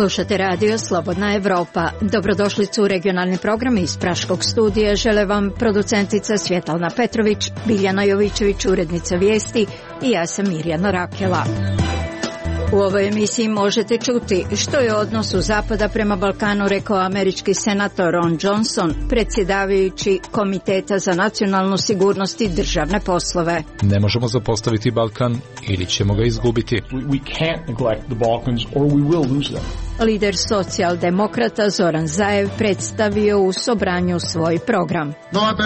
Slušate radio Slobodna Evropa. Dobrodošlicu u regionalni program iz Praškog studija. Žele vam producentica Svjetlana Petrović, Biljana Jovićević, urednica vijesti i ja sam Mirjana Rakela. U ovoj emisiji možete čuti što je odnos u Zapada prema Balkanu rekao američki senator Ron Johnson, predsjedavajući Komiteta za nacionalnu sigurnost i državne poslove. Ne možemo zapostaviti Balkan ili ćemo ga izgubiti. We can't neglect the Balkans or we will lose them. Lider socijaldemokrata Zoran Zaev predstavio u Sobranju svoj program. Nova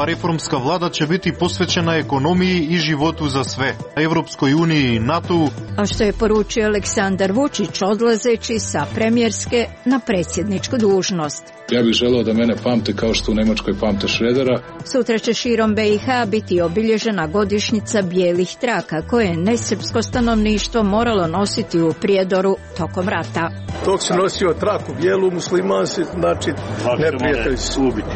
reformska vlada će biti posvećena ekonomiji i životu za sve, Evropskoj uniji i NATO. A što je poručio Aleksandar Vučić odlazeći sa premijerske na predsjedničku dužnost. Ja bih želeo da mene pamte kao što u Nemačkoj pamte Šredera. Sutra će širom BiH biti obilježena godišnjica bijelih traka koje je nesrpsko stanovništvo moralo nositi u Prijedoru tokom rata. Dok se nosio traku bijelu, musliman se, znači neprijatelj se ubiti.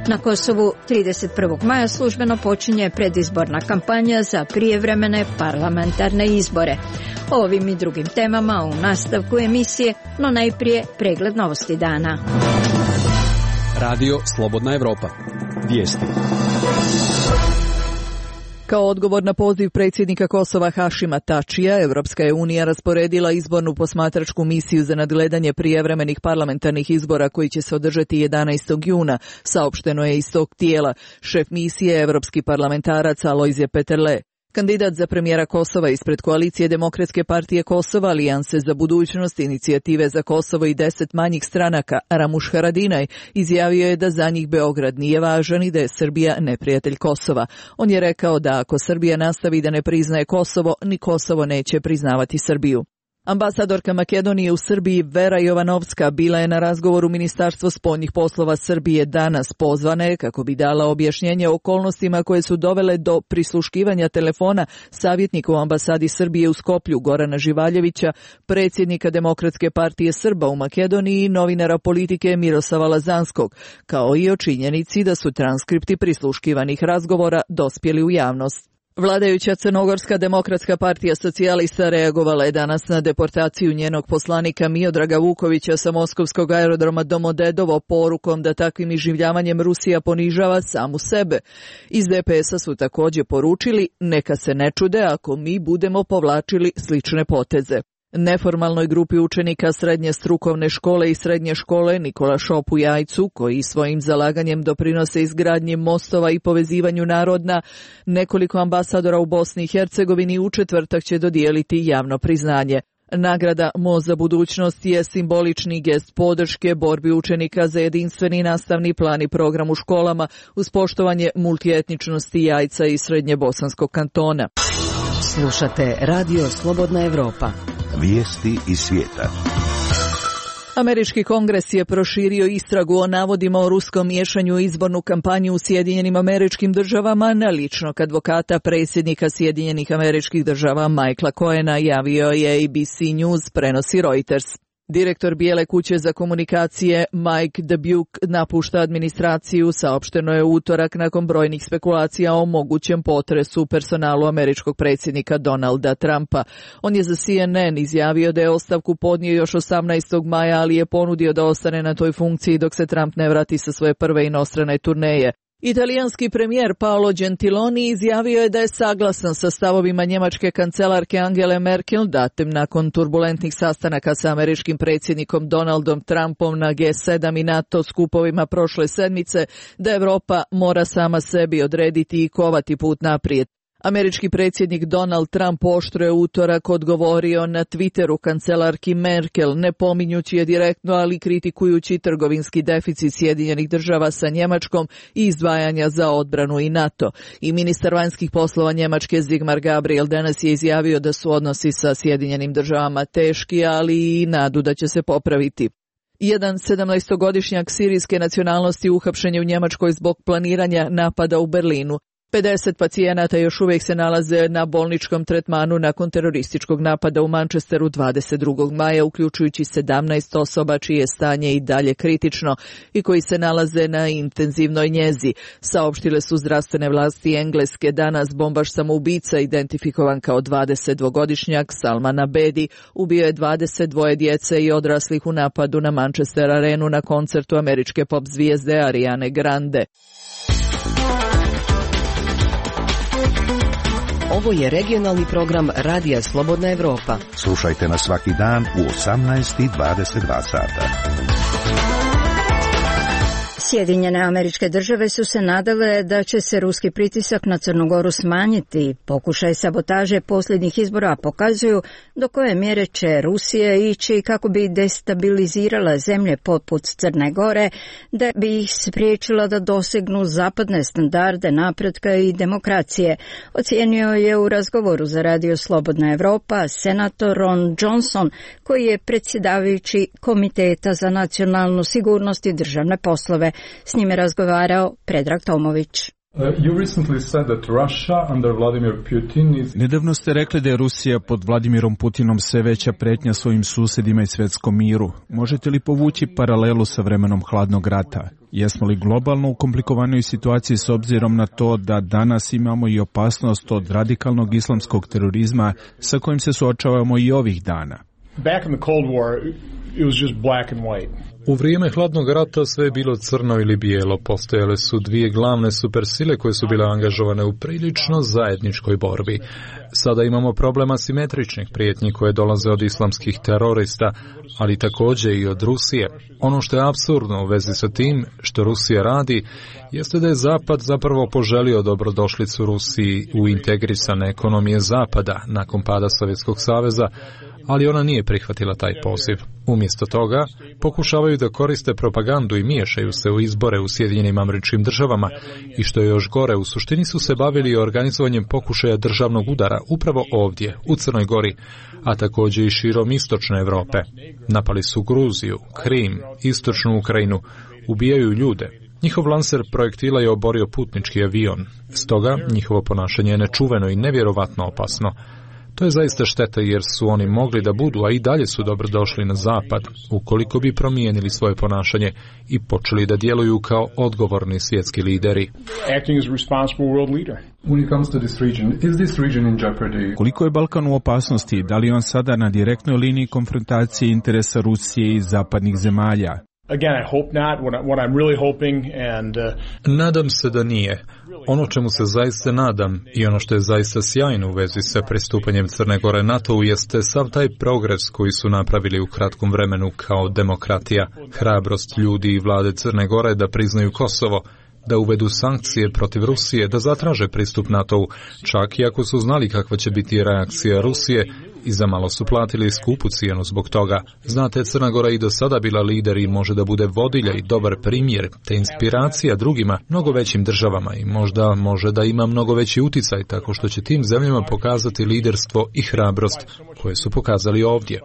Na Kosovu 31. maja službeno počinje predizborna kampanja za prijevremene parlamentarne izbore. O ovim i drugim temama u nastavku emisije, no najprije pregled novosti dana. Radio Slobodna Evropa. Vijesti. Kao odgovor na poziv predsjednika Kosova Hašima Tačija, Evropska je unija rasporedila izbornu posmatračku misiju za nadgledanje prijevremenih parlamentarnih izbora koji će se održati 11. juna, saopšteno je iz tog tijela. Šef misije, evropski parlamentarac Alojzije Peterle. Kandidat za premijera Kosova ispred koalicije Demokratske partije Kosova, Alijanse za budućnost, Inicijative za Kosovo i 10 manjih stranaka, Ramuš Haradinaj, izjavio je da za njih Beograd nije važan i da je Srbija neprijatelj Kosova. On je rekao da ako Srbija nastavi da ne priznaje Kosovo, ni Kosovo neće priznavati Srbiju. Ambasadorka Makedonije u Srbiji Vera Jovanovska bila je na razgovoru Ministarstva spoljnih poslova Srbije danas. Pozvana je kako bi dala objašnjenje o okolnostima koje su dovele do prisluškivanja telefona savjetnika u ambasadi Srbije u Skoplju Gorana Živaljevića, predsjednika Demokratske partije Srba u Makedoniji i novinara Politike Miroslava Lazanskog, kao i o činjenici da su transkripti prisluškivanih razgovora dospjeli u javnost. Vladajuća Crnogorska demokratska partija socijalista reagovala je danas na deportaciju njenog poslanika Miodraga Vukovića sa moskovskog aerodroma Domodedovo porukom da takvim iživljavanjem Rusija ponižava samu sebe. Iz DPS-a su također poručili neka se ne čude ako mi budemo povlačili slične poteze. Neformalnoj grupi učenika srednje strukovne škole i srednje škole Nikola Šop u Jajcu, koji svojim zalaganjem doprinose izgradnji mostova i povezivanju naroda, nekoliko ambasadora u Bosni i Hercegovini u četvrtak će dodijeliti javno priznanje. Nagrada Most za budućnost je simbolični gest podrške borbi učenika za jedinstveni nastavni plan i program u školama uz poštovanje multietničnosti Jajca i Srednje Bosanskog kantona. Slušate Radio Slobodna Evropa. Vijesti iz svijeta. Američki kongres je proširio istragu o navodima o ruskom miješanju u izbornu kampanju u Sjedinjenim Američkim Državama na ličnog advokata predsjednika Sjedinjenih Američkih Država Michaela Cohena, javio je ABC News, prenosi Reuters. Direktor Bijele kuće za komunikacije Mike Dubuque napušta administraciju, saopšteno je u utorak nakon brojnih spekulacija o mogućem potresu u personalu američkog predsjednika Donalda Trumpa. On je za CNN izjavio da je ostavku podnio još 18. maja, ali je ponudio da ostane na toj funkciji dok se Trump ne vrati sa svoje prve inostrane turneje. Italijanski premijer Paolo Gentiloni izjavio je da je saglasan sa stavovima njemačke kancelarke Angele Merkel datim nakon turbulentnih sastanaka sa američkim predsjednikom Donaldom Trumpom na G7 i NATO skupovima prošle sedmice, da Europa mora sama sebi odrediti i kovati put naprijed. Američki predsjednik Donald Trump oštro je utorak odgovorio na Twitteru kancelarki Merkel, ne pominjući je direktno, ali kritikujući trgovinski deficit Sjedinjenih Država sa Njemačkom i izdvajanja za odbranu i NATO. I ministar vanjskih poslova Njemačke Sigmar Gabriel danas je izjavio da su odnosi sa Sjedinjenim Državama teški, ali i nadu da će se popraviti. Jedan 17-godišnjak sirijske nacionalnosti uhapšen je u Njemačkoj zbog planiranja napada u Berlinu. 50 pacijenata još uvijek se nalaze na bolničkom tretmanu nakon terorističkog napada u Manchesteru 22. maja, uključujući 17 osoba čije je stanje i dalje kritično i koji se nalaze na intenzivnoj njezi. Saopštile su zdravstvene vlasti Engleske. Danas bombaš samoubica, identifikovan kao 22-godišnjak Salman Abedi, ubio je 22 djece i odraslih u napadu na Manchester Arenu na koncertu američke pop zvijezde Ariane Grande. Ovo je regionalni program Radija Slobodna Evropa. Slušajte nas svaki dan u 18:22 sata. Sjedinjene Američke Države su se nadale da će se ruski pritisak na Crnu Goru smanjiti. Pokušaj sabotaže posljednjih izbora pokazuju do koje mjere će Rusija ići kako bi destabilizirala zemlje poput Crne Gore, da bi ih spriječila da dosegnu zapadne standarde napretka i demokracije, ocijenio je u razgovoru za Radio Slobodna Evropa senator Ron Johnson, koji je predsjedavajući Komiteta za nacionalnu sigurnost i državne poslove. S njime razgovarao Predrag Tomović. Nedavno ste rekli da je Rusija pod Vladimirom Putinom sve veća pretnja svojim susjedima i svjetskom miru. Možete li povući paralelu sa vremenom hladnog rata? Jesmo li globalno u komplikovanoj situaciji s obzirom na to da danas imamo i opasnost od radikalnog islamskog terorizma sa kojim se suočavamo i ovih dana? Back in the Cold War, it was just black and white. U vrijeme hladnog rata sve je bilo crno ili bijelo. Postojale su dvije glavne supersile koje su bile angažovane u prilično zajedničkoj borbi. Sada imamo problem asimetričnih prijetnji koje dolaze od islamskih terorista, ali također i od Rusije. Ono što je apsurdno u vezi sa tim što Rusija radi, jeste da je Zapad zapravo poželio dobrodošlicu Rusiji u integrisane ekonomije Zapada nakon pada Sovjetskog saveza, ali ona nije prihvatila taj poziv. Umjesto toga, pokušavaju da koriste propagandu i miješaju se u izbore u Sjedinjenim Američkim Državama i što je još gore, u suštini su se bavili organizovanjem pokušaja državnog udara upravo ovdje, u Crnoj Gori, a također i širom istočne Europe. Napali su Gruziju, Krim, istočnu Ukrajinu, ubijaju ljude. Njihov lanser projektila je oborio putnički avion, stoga njihovo ponašanje je nečuveno i nevjerovatno opasno. To je zaista šteta jer su oni mogli da budu, a i dalje su dobrodošli na Zapad, ukoliko bi promijenili svoje ponašanje i počeli da djeluju kao odgovorni svjetski lideri. Koliko je Balkan u opasnosti? Da li on sada na direktnoj liniji konfrontacije interesa Rusije i zapadnih zemalja? Again, I hope not. What I'm really hoping and Nadam se da nije. Ono čemu se zaista nadam i ono što je zaista sjajno u vezi sa pristupanjem Crne Gore NATO-u jeste sav taj progres koji su napravili u kratkom vremenu kao demokratija, hrabrost ljudi i vlade Crne Gore da priznaju Kosovo, da uvedu sankcije protiv Rusije, da zatraže pristup NATO-u, čak i ako su znali kakva će biti reakcija Rusije i zamalo su platili skupu cijenu zbog toga. Znate, Crna Gora i do sada bila lider i može da bude vodilja i dobar primjer, te inspiracija drugima, mnogo većim državama i možda može da ima mnogo veći uticaj tako što će tim zemljama pokazati liderstvo i hrabrost koje su pokazali ovdje.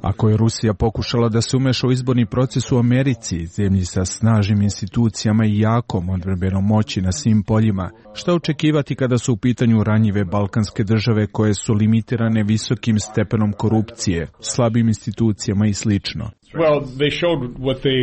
Ako je Rusija pokušala da se umeša u izborni proces u Americi, zemlji sa snažnim institucijama i jakom odbrambenom moći na svim poljima, šta očekivati kada su u pitanju ranjive balkanske države koje su limitirane visokim stepenom korupcije, slabim institucijama i slično? Well, they showed what they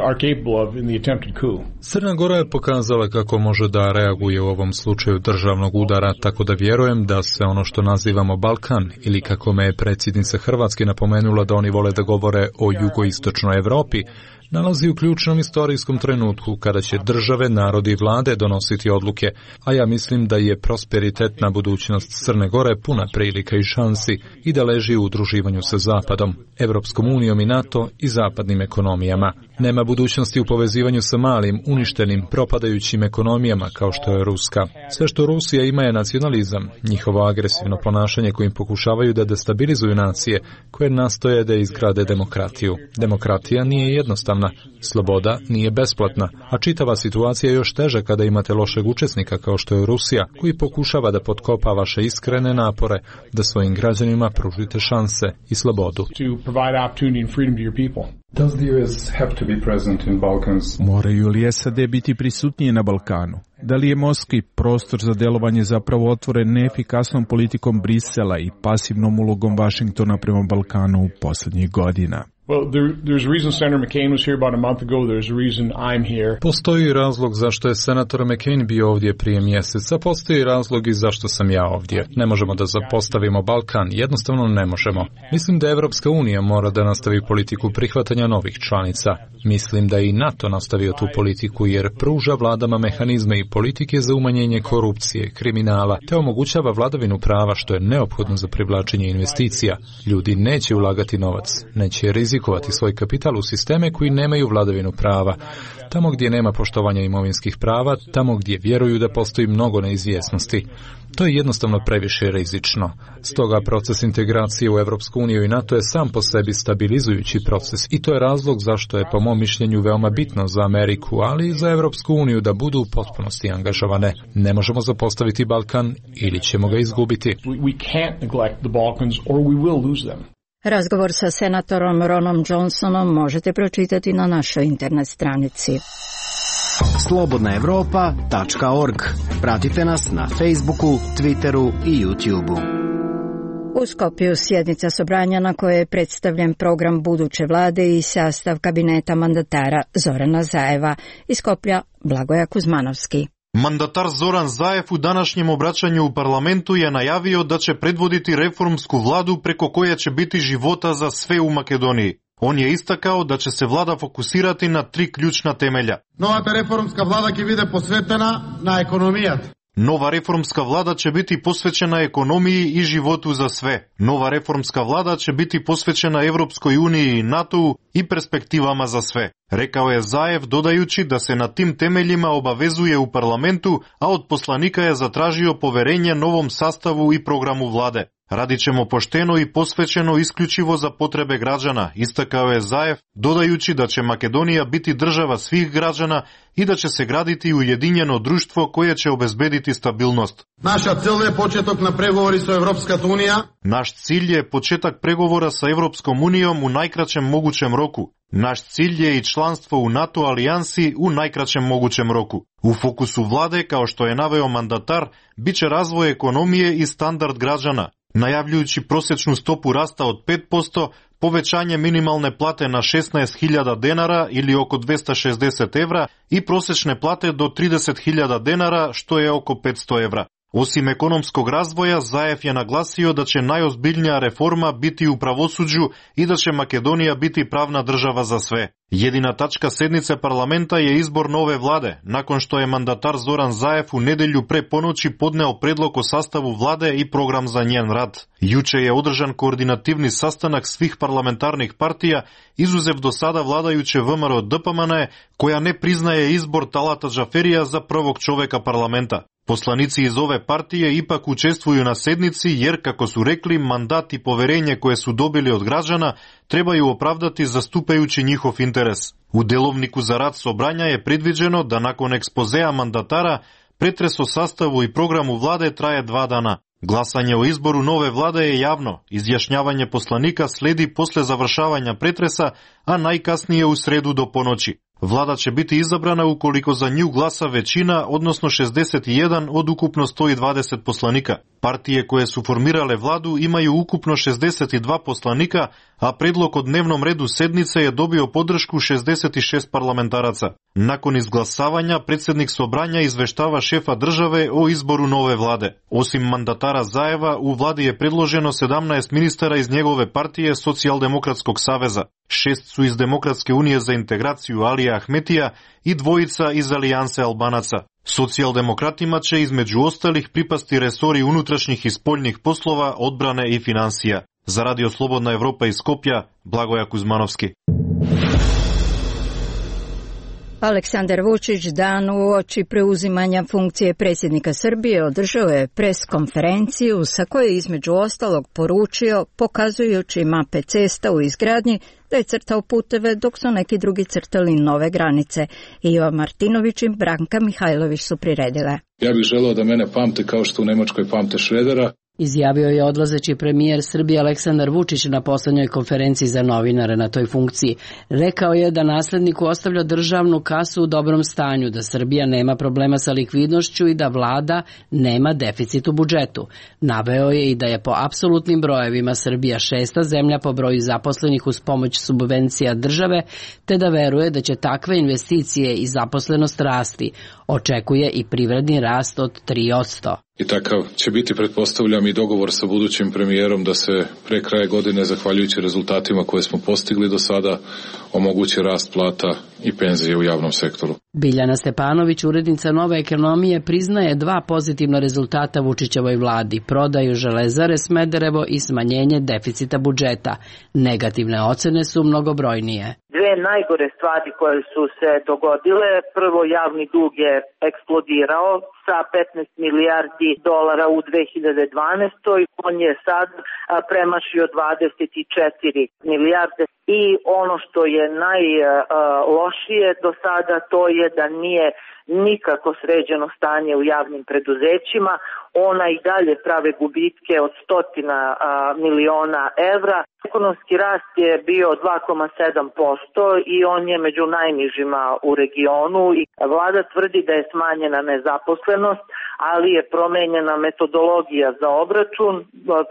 are capable of in the attempted coup. Crna Gora je pokazala kako može da reaguje u ovom slučaju državnog udara, tako da vjerujem da se ono što nazivamo Balkan, ili kako me je predsjednica Hrvatske napomenula da oni vole da govore o jugoistočnoj Europi, nalazi u ključnom istorijskom trenutku kada će države, narodi i vlade donositi odluke, a ja mislim da je prosperitetna budućnost Crne Gore puna prilika i šansi i da leži u udruživanju sa Zapadom, Evropskom unijom i NATO i zapadnim ekonomijama. Nema budućnosti u povezivanju sa malim, uništenim, propadajućim ekonomijama kao što je Ruska. Sve što Rusija ima je nacionalizam, njihovo agresivno ponašanje kojim pokušavaju da destabilizuju nacije koje nastoje da izgrade demokratiju. Demokratija nije jednostavna, građanima. Sloboda nije besplatna, a čitava situacija je još teža kada imate lošeg učesnika kao što je Rusija, koji pokušava da potkopa vaše iskrene napore da svojim građanima pružite šanse i slobodu. Moraju li SAD biti prisutnije na Balkanu? Da li je morski prostor za delovanje zapravo otvoren neefikasnom politikom Brisela i pasivnom ulogom Vašingtona prema Balkanu u posljednjih godina? Postoji razlog zašto je senator McCain bio ovdje prije mjeseca, postoji razlog i zašto sam ja ovdje. Ne možemo da zapostavimo Balkan, jednostavno ne možemo. Mislim da Evropska unija mora da nastavi politiku prihvatanja novih članica. Mislim da i NATO nastavio tu politiku jer pruža vladama mehanizme i politike za umanjenje korupcije, kriminala, te omogućava vladavinu prava što je neophodno za privlačenje investicija. Ljudi neće ulagati novac, neće rizikovati svoj kapital u sisteme koji nemaju vladavinu prava. Tamo gdje nema poštovanja imovinskih prava, tamo gdje vjeruju da postoji mnogo neizvjesnosti. To je jednostavno previše rizično. Stoga proces integracije u Evropsku uniju i NATO je sam po sebi stabilizujući proces i to je razlog zašto je po mom mišljenju veoma bitno za Ameriku, ali i za Evropsku uniju da budu u potpunosti angažovane. Ne možemo zapostaviti Balkan ili ćemo ga izgubiti. Razgovor sa senatorom Ronom Johnsonom možete pročitati na našoj internet stranici. Slobodnaevropa.org. Pratite nas na Facebooku, Twitteru i YouTubeu. U Skopju sjednica Sobranja na kojoj je predstavljen program buduće vlade i sastav kabineta mandatara Zorana Zajeva. Iz Skoplja Blagoja Kuzmanovski. Mandatar Zoran Zaev u današnjem obraćanju u parlamentu je najavio da će predvoditi reformsku vladu preko koje će biti života za sve u Makedoniji. On je istakao da će se vlada fokusirati na 3 ključna temelja. Новата реформска влада ќе биде посветена на економијата. Nova reformska vlada će biti posvećena ekonomiji i životu za sve. Nova reformska vlada će biti posvećena Evropskoj uniji i NATO-u i perspektivama za sve. Rekao je Zaev dodajući da se na tim temeljima obavezuje u parlamentu, a od poslanika je zatražio poverenje novom sastavu i programu vlade. Radit ćemo pošteno i posvećeno isključivo za potrebe građana, istakao je Zaev, dodajući da će Makedonija biti država svih građana i da će se graditi ujedinjeno društvo koje će obezbediti stabilnost. Naša cilj je početak na pregovori sa Evropskата unija. Naš cilj je početak pregovora sa Evropskom unijom u najkraćem mogućem roku. Naš cilj je i članstvo u NATO alijansi u najkraćem mogućem roku. U fokusu vlade, kao što je naveo mandatar, bit će razvoj ekonomije i standard građana, najavljujući prosječnu stopu rasta od 5%, povećanje minimalne plate na 16.000 denara ili oko 260 evra i prosječne plate do 30.000 denara, što je oko 500 evra. Osim ekonomskog razvoja, Zaev je naglasio da će najozbiljnija reforma biti u pravosuđu i da će Makedonija biti pravna država za sve. Jedina tačka sednice parlamenta je izbor nove vlade, nakon što je mandatar Zoran Zaev u nedjelju pre ponoći podneo predlog o sastavu vlade i program za njen rad. Juče je održan koordinativni sastanak svih parlamentarnih partija, izuzev do sada vladajuće VMRO DPMNE, koja ne priznaje izbor Talata Džaferija za prvog čoveka parlamenta. Poslanici iz ove partije ipak učestvuju na sednici jer, kako su rekli, mandat i poverenje koje su dobili od građana trebaju opravdati zastupajući njihov interes. U delovniku za rad Sobranja je predviđeno da nakon ekspozea mandatara pretres o sastavu i programu vlade traje 2 dana. Glasanje o izboru nove vlade je javno, izjašnjavanje poslanika sledi posle završavanja pretresa, a najkasnije u sredu do ponoći. Vlada će biti izabrana ukoliko za nju glasa većina, odnosno 61 od ukupno 120 poslanika. Partije koje su formirale vladu imaju ukupno 62 poslanika, a predlog o dnevnom redu sednice je dobio podršku 66 parlamentaraca. Nakon izglasavanja, predsjednik Sobranja izveštava šefa države o izboru nove vlade. Osim mandatara Zaeva, u vladi je predloženo 17 ministara iz njegove partije Socijaldemokratskog saveza. 6 su iz Demokratske unije za integraciju Alija Ahmetija i 2 iz Alijanse Albanaca. Socijaldemokratima će između ostalih pripasti resori unutrašnjih i spoljnih poslova, odbrane i financija. Za Radio Slobodna Evropa iz Skopja, Blagoja Kuzmanovski. Aleksandar Vučić dan uoči preuzimanja funkcije predsjednika Srbije održao je pres konferenciju sa kojoj je između ostalog poručio, pokazujući mape cesta u izgradnji, da je crtao puteve dok su neki drugi crtali nove granice. Ivo Martinović i Branka Mihajlović su priredile. Ja bih želeo da mene pamte kao što u Nemačkoj pamte Šredera. Izjavio je odlazeći premijer Srbije Aleksandar Vučić na poslednjoj konferenciji za novinare na toj funkciji. Rekao je da nasledniku ostavlja državnu kasu u dobrom stanju, da Srbija nema problema sa likvidnošću i da vlada nema deficit u budžetu. Naveo je i da je po apsolutnim brojevima Srbija 6. zemlja po broju zaposlenih uz pomoć subvencija države, te da veruje da će takve investicije i zaposlenost rasti. Očekuje i privredni rast od 3%. I takav će biti, pretpostavljam, i dogovor sa budućim premijerom da se pre kraja godine, zahvaljujući rezultatima koje smo postigli do sada, omogući rast plata i penzije u javnom sektoru. Biljana Stepanović, urednica Nove ekonomije, priznaje 2 pozitivna rezultata Vučićevoj vladi, prodaju Železare Smederevo i smanjenje deficita budžeta. Negativne ocene su mnogobrojnije. 2 najgore stvari koje su se dogodile, prvo javni dug je eksplodirao sa 15 milijardi dolara u 2012. On je sad premašio 24 milijarde i ono što je najlošije do sada to je da nije nikako sređeno stanje u javnim preduzećima. Ona i dalje prave gubitke od 100 miliona evra. Ekonomski rast je bio 2,7% i on je među najnižima u regionu. I vlada tvrdi da je smanjena nezaposlenost, ali je promenjena metodologija za obračun.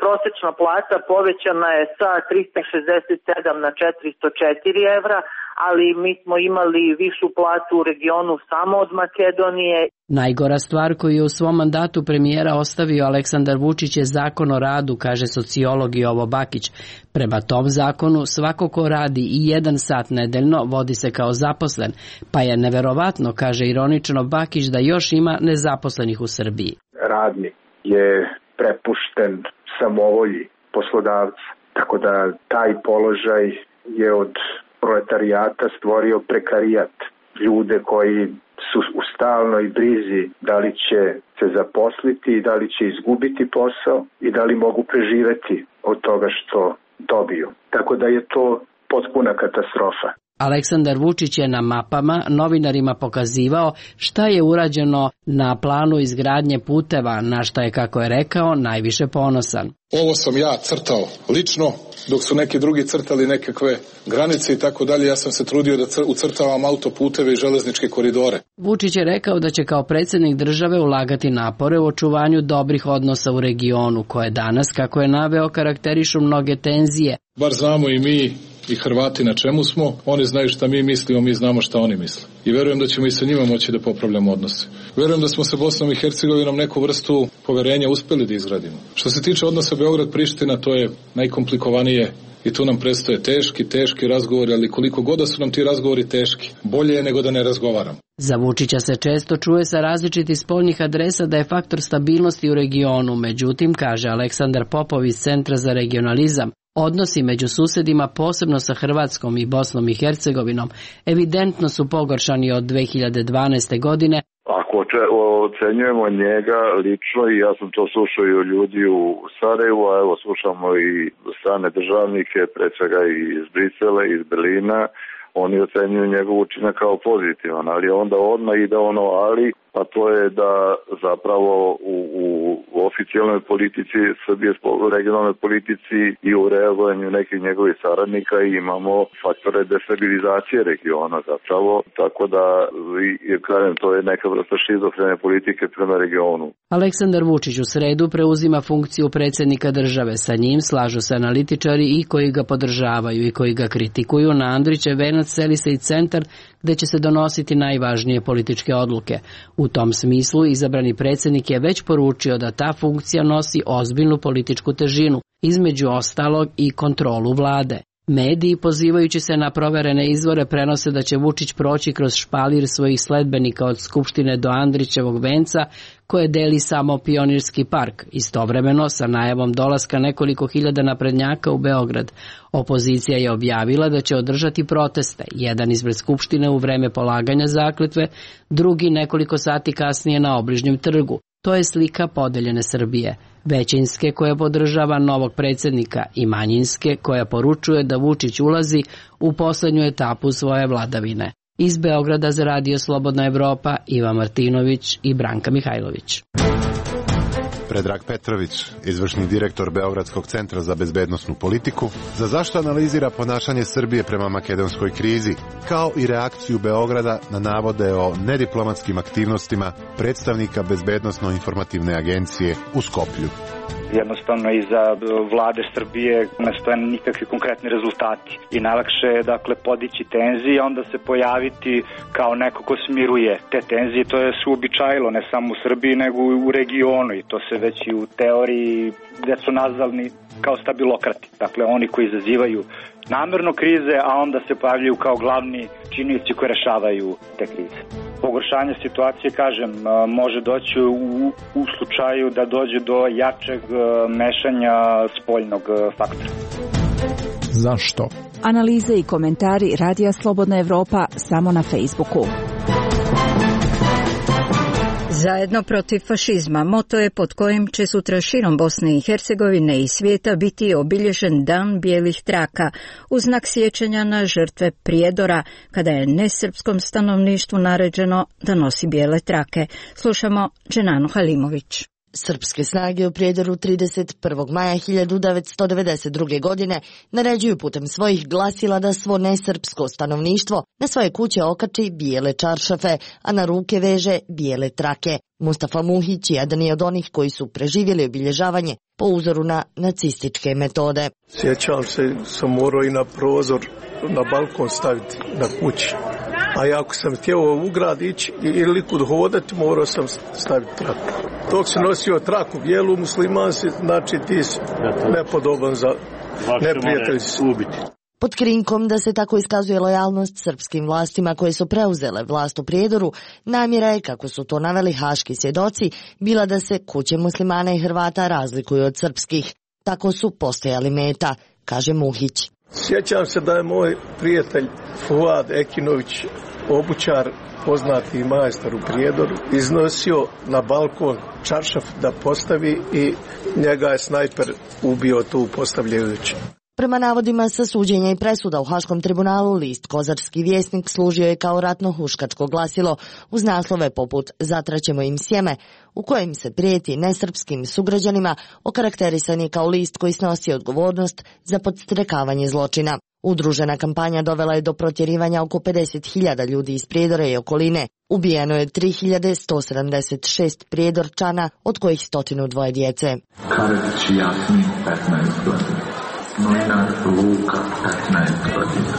Prosečna plata povećana je sa 367 na 404 evra, ali mi smo imali višu platu u regionu samo od Makedonije. Najgora stvar koju je u svom mandatu premijera ostavio Aleksandar Vučić je zakon o radu, kaže sociolog Jovo Bakić. Prema tom zakonu svako ko radi i 1 sat nedeljno vodi se kao zaposlen, pa je neverovatno, kaže ironično Bakić, da još ima nezaposlenih u Srbiji. Radnik je prepušten samovolji poslodavca, tako da taj položaj je od proletarijata stvorio prekarijat, ljude koji su u stalnoj brizi da li će se zaposliti, da li će izgubiti posao i da li mogu preživeti od toga što dobiju. Tako da je to potpuna katastrofa. Aleksandar Vučić je na mapama novinarima pokazivao šta je urađeno na planu izgradnje puteva, na šta je, kako je rekao, najviše ponosan. Ovo sam ja crtao lično, dok su neki drugi crtali nekakve granice i tako dalje. Ja sam se trudio da ucrtavam autoputeve i železničke koridore. Vučić je rekao da će kao predsjednik države ulagati napore u očuvanju dobrih odnosa u regionu, koje danas, kako je naveo, karakterišu mnoge tenzije. Bar znamo i mi i Hrvati na čemu smo, oni znaju šta mi mislimo, mi znamo šta oni misle. I verujem da ćemo i sa njima moći da popravljamo odnose. Verujem da smo sa Bosnom i Hercegovinom neku vrstu poverenja uspeli da izgradimo. Što se tiče odnosa Beograd-Priština, to je najkomplikovanije i tu nam predstoje teški razgovori, ali koliko god da su nam ti razgovori teški, bolje je nego da ne razgovaramo. Za Vučića se često čuje sa različitih spoljnih adresa da je faktor stabilnosti u regionu, međutim, kaže Aleksandar Popov iz Centra za regionalizam, odnosi među susedima, posebno sa Hrvatskom i Bosnom i Hercegovinom, evidentno su pogoršani od 2012. godine. Ako ocenjujemo njega lično, i ja sam to slušao i od ljudi u Sarajevu, a evo slušamo i strane državnike, pre svega i iz Brisela, iz Berlina, oni ocenjuju njegov učinak kao pozitivan, ali onda odmah ide ono ali, a to je da zapravo u oficijalnoj politici Srbije, regionalnoj politici i u reagovanju nekih njegovih saradnika imamo faktore destabilizacije regiona zapravo, tako da kažem, to je neka vrsta šizofrene politike prema regionu. Aleksandar Vučić u sredu preuzima funkciju predsjednika države. Sa njim slažu se analitičari i koji ga podržavaju i koji ga kritikuju. Na Andrićev venac seli se i centar gde će se donositi najvažnije političke odluke. U tom smislu izabrani predsjednik je već poručio da ta funkcija nosi ozbiljnu političku težinu, između ostalog i kontrolu vlade. Mediji, pozivajući se na proverene izvore, prenose da će Vučić proći kroz špalir svojih sledbenika od Skupštine do Andrićevog venca, koje deli samo Pionirski park, istovremeno sa najavom dolaska nekoliko hiljada naprednjaka u Beograd. Opozicija je objavila da će održati proteste, jedan ispred Skupštine u vreme polaganja zakletve, drugi nekoliko sati kasnije na Obližnjem trgu. To je slika podeljene Srbije. Većinske koja podržava novog predsjednika i manjinske koja poručuje da Vučić ulazi u poslednju etapu svoje vladavine. Iz Beograda za Radio Slobodna Evropa, Iva Martinović i Branka Mihajlović. Predrag Petrović, izvršni direktor Beogradskog centra za bezbednosnu politiku, za zašto analizira ponašanje Srbije prema makedonskoj krizi, kao i reakciju Beograda na navode o nediplomatskim aktivnostima predstavnika Bezbednosno-informativne agencije u Skoplju. Jednostavno iza vlade Srbije ne stoje nikakvi konkretni rezultati i najlakše je podići tenzije, onda se pojaviti kao neko ko smiruje te tenzije. To je se uobičajilo ne samo u Srbiji nego i u regionu i to se već i u teoriji gde su nazvani kao stabilokrati. Dakle, oni koji izazivaju namerno krize, a onda se pojavljaju kao glavni činioci koji rešavaju te krize. Pogoršanje situacije, kažem, može doći u slučaju da dođe do jačeg mešanja spoljnog faktora. Zašto? Analize i komentari Radija Slobodna Evropa samo na Facebooku. Zajedno protiv fašizma moto je pod kojim će sutra širom Bosne i Hercegovine i svijeta biti obilježen Dan bijelih traka u znak sjećanja na žrtve Prijedora, kada je nesrpskom stanovništvu naređeno da nosi bijele trake. Slušamo Dženanu Halimović. Srpske snage u Prijedoru 31. maja 1992. godine naređuju putem svojih glasila da svo nesrpsko stanovništvo na svoje kuće okači bijele čaršafe, a na ruke veže bijele trake. Mustafa Muhić jedan je od onih koji su preživjeli obilježavanje po uzoru na nacističke metode. Sjećam se, sam morao i na prozor, na balkon staviti na kući. A ako sam htio u grad ići ili kud hodati, morao sam staviti traku. Dok si nosio traku bijelu, musliman si, znači ti si nepodoban za neprijatelj si ubiti. Pod krinkom da se tako iskazuje lojalnost srpskim vlastima koje su preuzele vlast u Prijedoru, namjera je, kako su to naveli haški svjedoci, bila da se kuće muslimana i Hrvata razlikuju od srpskih. Tako su postojali meta, kaže Muhić. Sjećam se da je moj prijatelj Fuad Ekinović, obućar, poznati majstor u Prijedoru, iznosio na balkon čaršaf da postavi i njega je snajper ubio tu postavljajući. Prema navodima sa suđenja i presuda u Haškom tribunalu, list Kozarski vjesnik služio je kao ratno-huškačko glasilo uz naslove poput Zatraćemo im sjeme, u kojem se prijeti nesrpskim sugrađanima, okarakterisan je kao list koji snosi odgovornost za podstrekavanje zločina. Udružena kampanja dovela je do protjerivanja oko 50.000 ljudi iz Prijedora i okoline. Ubijeno je 3.176 Prijedorčana, od kojih 102 djece. Karević Jasmin, 15 godina. Novinar Luka, 15 godina.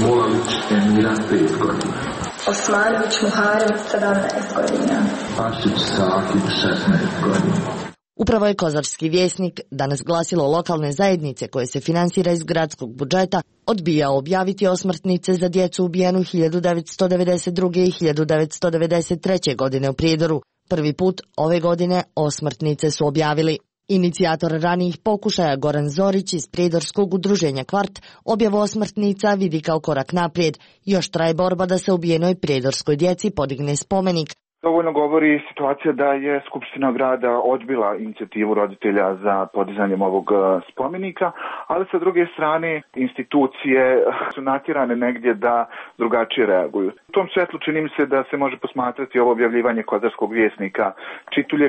Mulavić Emira, 5 godina. Osmanović Muharem, 17 godina. Pašić Sakib, 16 godina. Upravo je Kozarski vjesnik, danas glasilo lokalne zajednice koje se finansira iz gradskog budžeta, odbijao objaviti osmrtnice za djecu ubijenu 1992. i 1993. godine u Prijedoru. Prvi put ove godine osmrtnice su objavili. Inicijator ranijih pokušaja Goran Zorić iz Prijedorskog udruženja Kvart objavu osmrtnica vidi kao korak naprijed. Još traje borba da se ubijenoj prijedorskoj djeci podigne spomenik. Dovoljno govori situacija da je Skupština grada odbila inicijativu roditelja za podizanjem ovog spomenika, ali sa druge strane institucije su natjerane negdje da drugačije reaguju. U tom svetlu čini mi se da se može posmatrati ovo objavljivanje Kozarskog vjesnika Čitulje.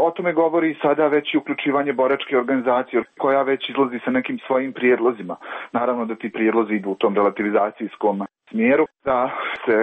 O tome govori sada već i uključivanje boračke organizacije koja već izlazi sa nekim svojim prijedlozima. Naravno da ti prijedlozi idu u tom relativizacijskom smjeru, da se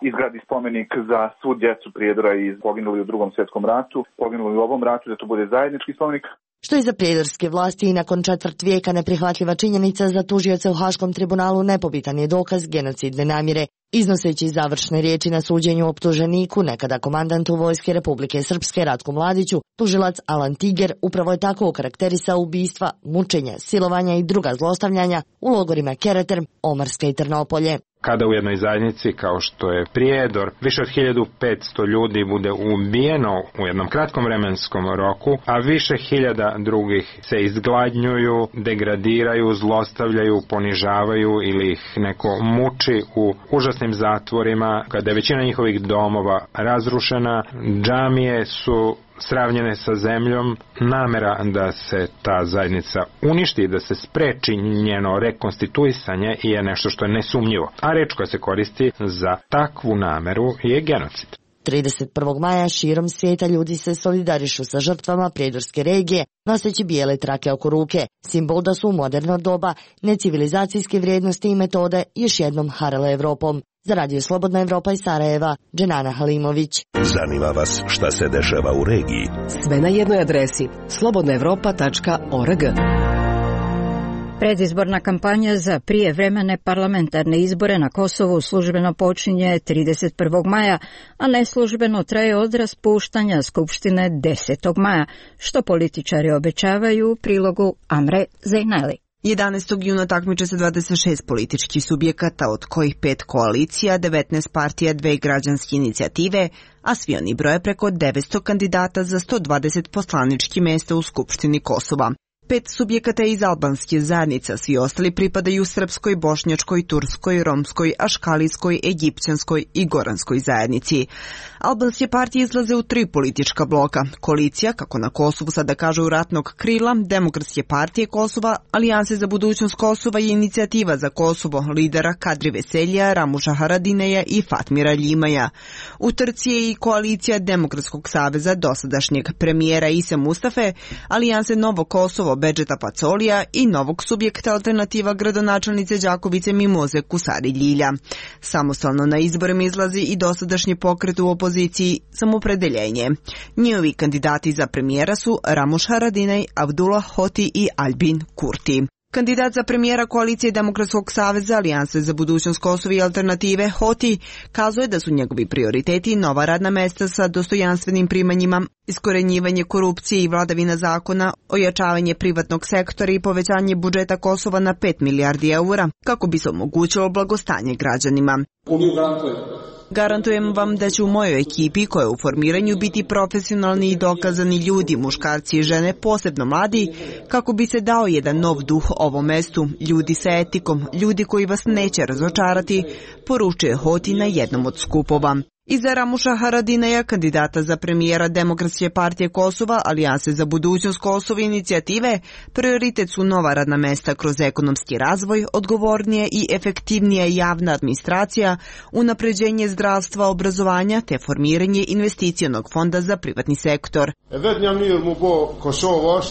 izgradi spomenik za svu djecu Prijedora i poginuli u Drugom svjetskom ratu, poginuli u ovom ratu, da to bude zajednički spomenik. Što je za prijedorske vlasti i nakon četvrt vijeka neprihvatljiva činjenica, za tužioce u Haškom tribunalu nepobitan je dokaz genocidne namjere. Iznoseći završne riječi na suđenju optuženiku, nekada komandantu Vojske Republike Srpske Ratku Mladiću, tužilac Alan Tiger upravo je tako okarakterisao ubistva, mučenja, silovanja i druga zlostavljanja u logorima Kereter, Omarska i Trnopolje. Kada u jednoj zajednici kao što je Prijedor više od 1500 ljudi bude ubijeno u jednom kratkom vremenskom roku, a više hiljada drugih se izgladnjuju, degradiraju, zlostavljaju, ponižavaju ili ih neko muči u užasnim zatvorima, kada je većina njihovih domova razrušena, džamije su sravnjene sa zemljom, namera da se ta zajednica uništi, da se spreči njeno rekonstituisanje je nešto što je nesumnjivo. A reč koja se koristi za takvu nameru je genocid. 31. maja širom svijeta ljudi se solidarišu sa žrtvama prijedorske regije, noseći bijele trake oko ruke, simbol da su u moderno doba necivilizacijske vrijednosti i metode još jednom harale Evropom. Za Radio Slobodna Evropa iz Sarajeva, Dženana Halimović. Zanima vas šta se dešava u regiji? Sve na jednoj adresi slobodnaevropa.org. Predizborna kampanja za prijevremene parlamentarne izbore na Kosovu službeno počinje 31. maja, a neslužbeno traje od raspuštanja Skupštine 10. maja, što političari obećavaju u prilogu Amre Zejnali. 11. juna takmiče se 26 političkih subjekata, od kojih 5 koalicija, 19 partija, 2 građanske inicijative, a svi oni broje preko 900 kandidata za 120 poslaničkih mjesta u Skupštini Kosova. 5 subjekata iz albanske zajednice, svi ostali pripadaju srpskoj, bošnjačkoj, turskoj, romskoj, aškalijskoj, egipćanskoj i goranskoj zajednici. Albanske partije izlaze u 3 politička bloka. Koalicija, kako na Kosovu sada kažu ratnog krila, Demokratske partije Kosova, Alijanse za budućnost Kosova i Inicijativa za Kosovo, lidera Kadri Veselja, Ramuša Haradineja i Fatmira Ljimaja. U trci je i koalicija Demokratskog saveza dosadašnjeg premijera Ise Mustafe, Alijanse Novo Kosovo, Bedžeta Pacolija i novog subjekta Alternativa gradonačelnice Đakovice Mimoze Kusari Ljilja. Samostalno na izborima izlazi i dosadašnji pokret u opoziciji Samopredeljenje. Njihovi kandidati za premijera su Ramuš Haradinaj, Abdullah Hoti i Albin Kurti. Kandidat za premijera koalicije Demokratskog saveza, Alijanse za budućnost Kosova i Alternative, Hoti, kazuje da su njegovi prioriteti nova radna mesta sa dostojanstvenim primanjima, iskorenjivanje korupcije i vladavina zakona, ojačavanje privatnog sektora i povećanje budžeta Kosova na 5 milijardi eura, kako bi se omogućilo blagostanje građanima. Garantujem vam da će u mojoj ekipi, koja je u formiranju, biti profesionalni i dokazani ljudi, muškarci i žene, posebno mladi, kako bi se dao jedan nov duh ovom mestu, ljudi sa etikom, ljudi koji vas neće razočarati, poručuje Hoti na jednom od skupova. Iza Ramuša Haradineja, kandidata za premijera Demokratske partije Kosova, Alijanse za budućnost Kosova i Inicijative, prioritet su nova radna mesta kroz ekonomski razvoj, odgovornije i efektivnija javna administracija, unapređenje zdravstva, obrazovanja te formiranje investicionog fonda za privatni sektor.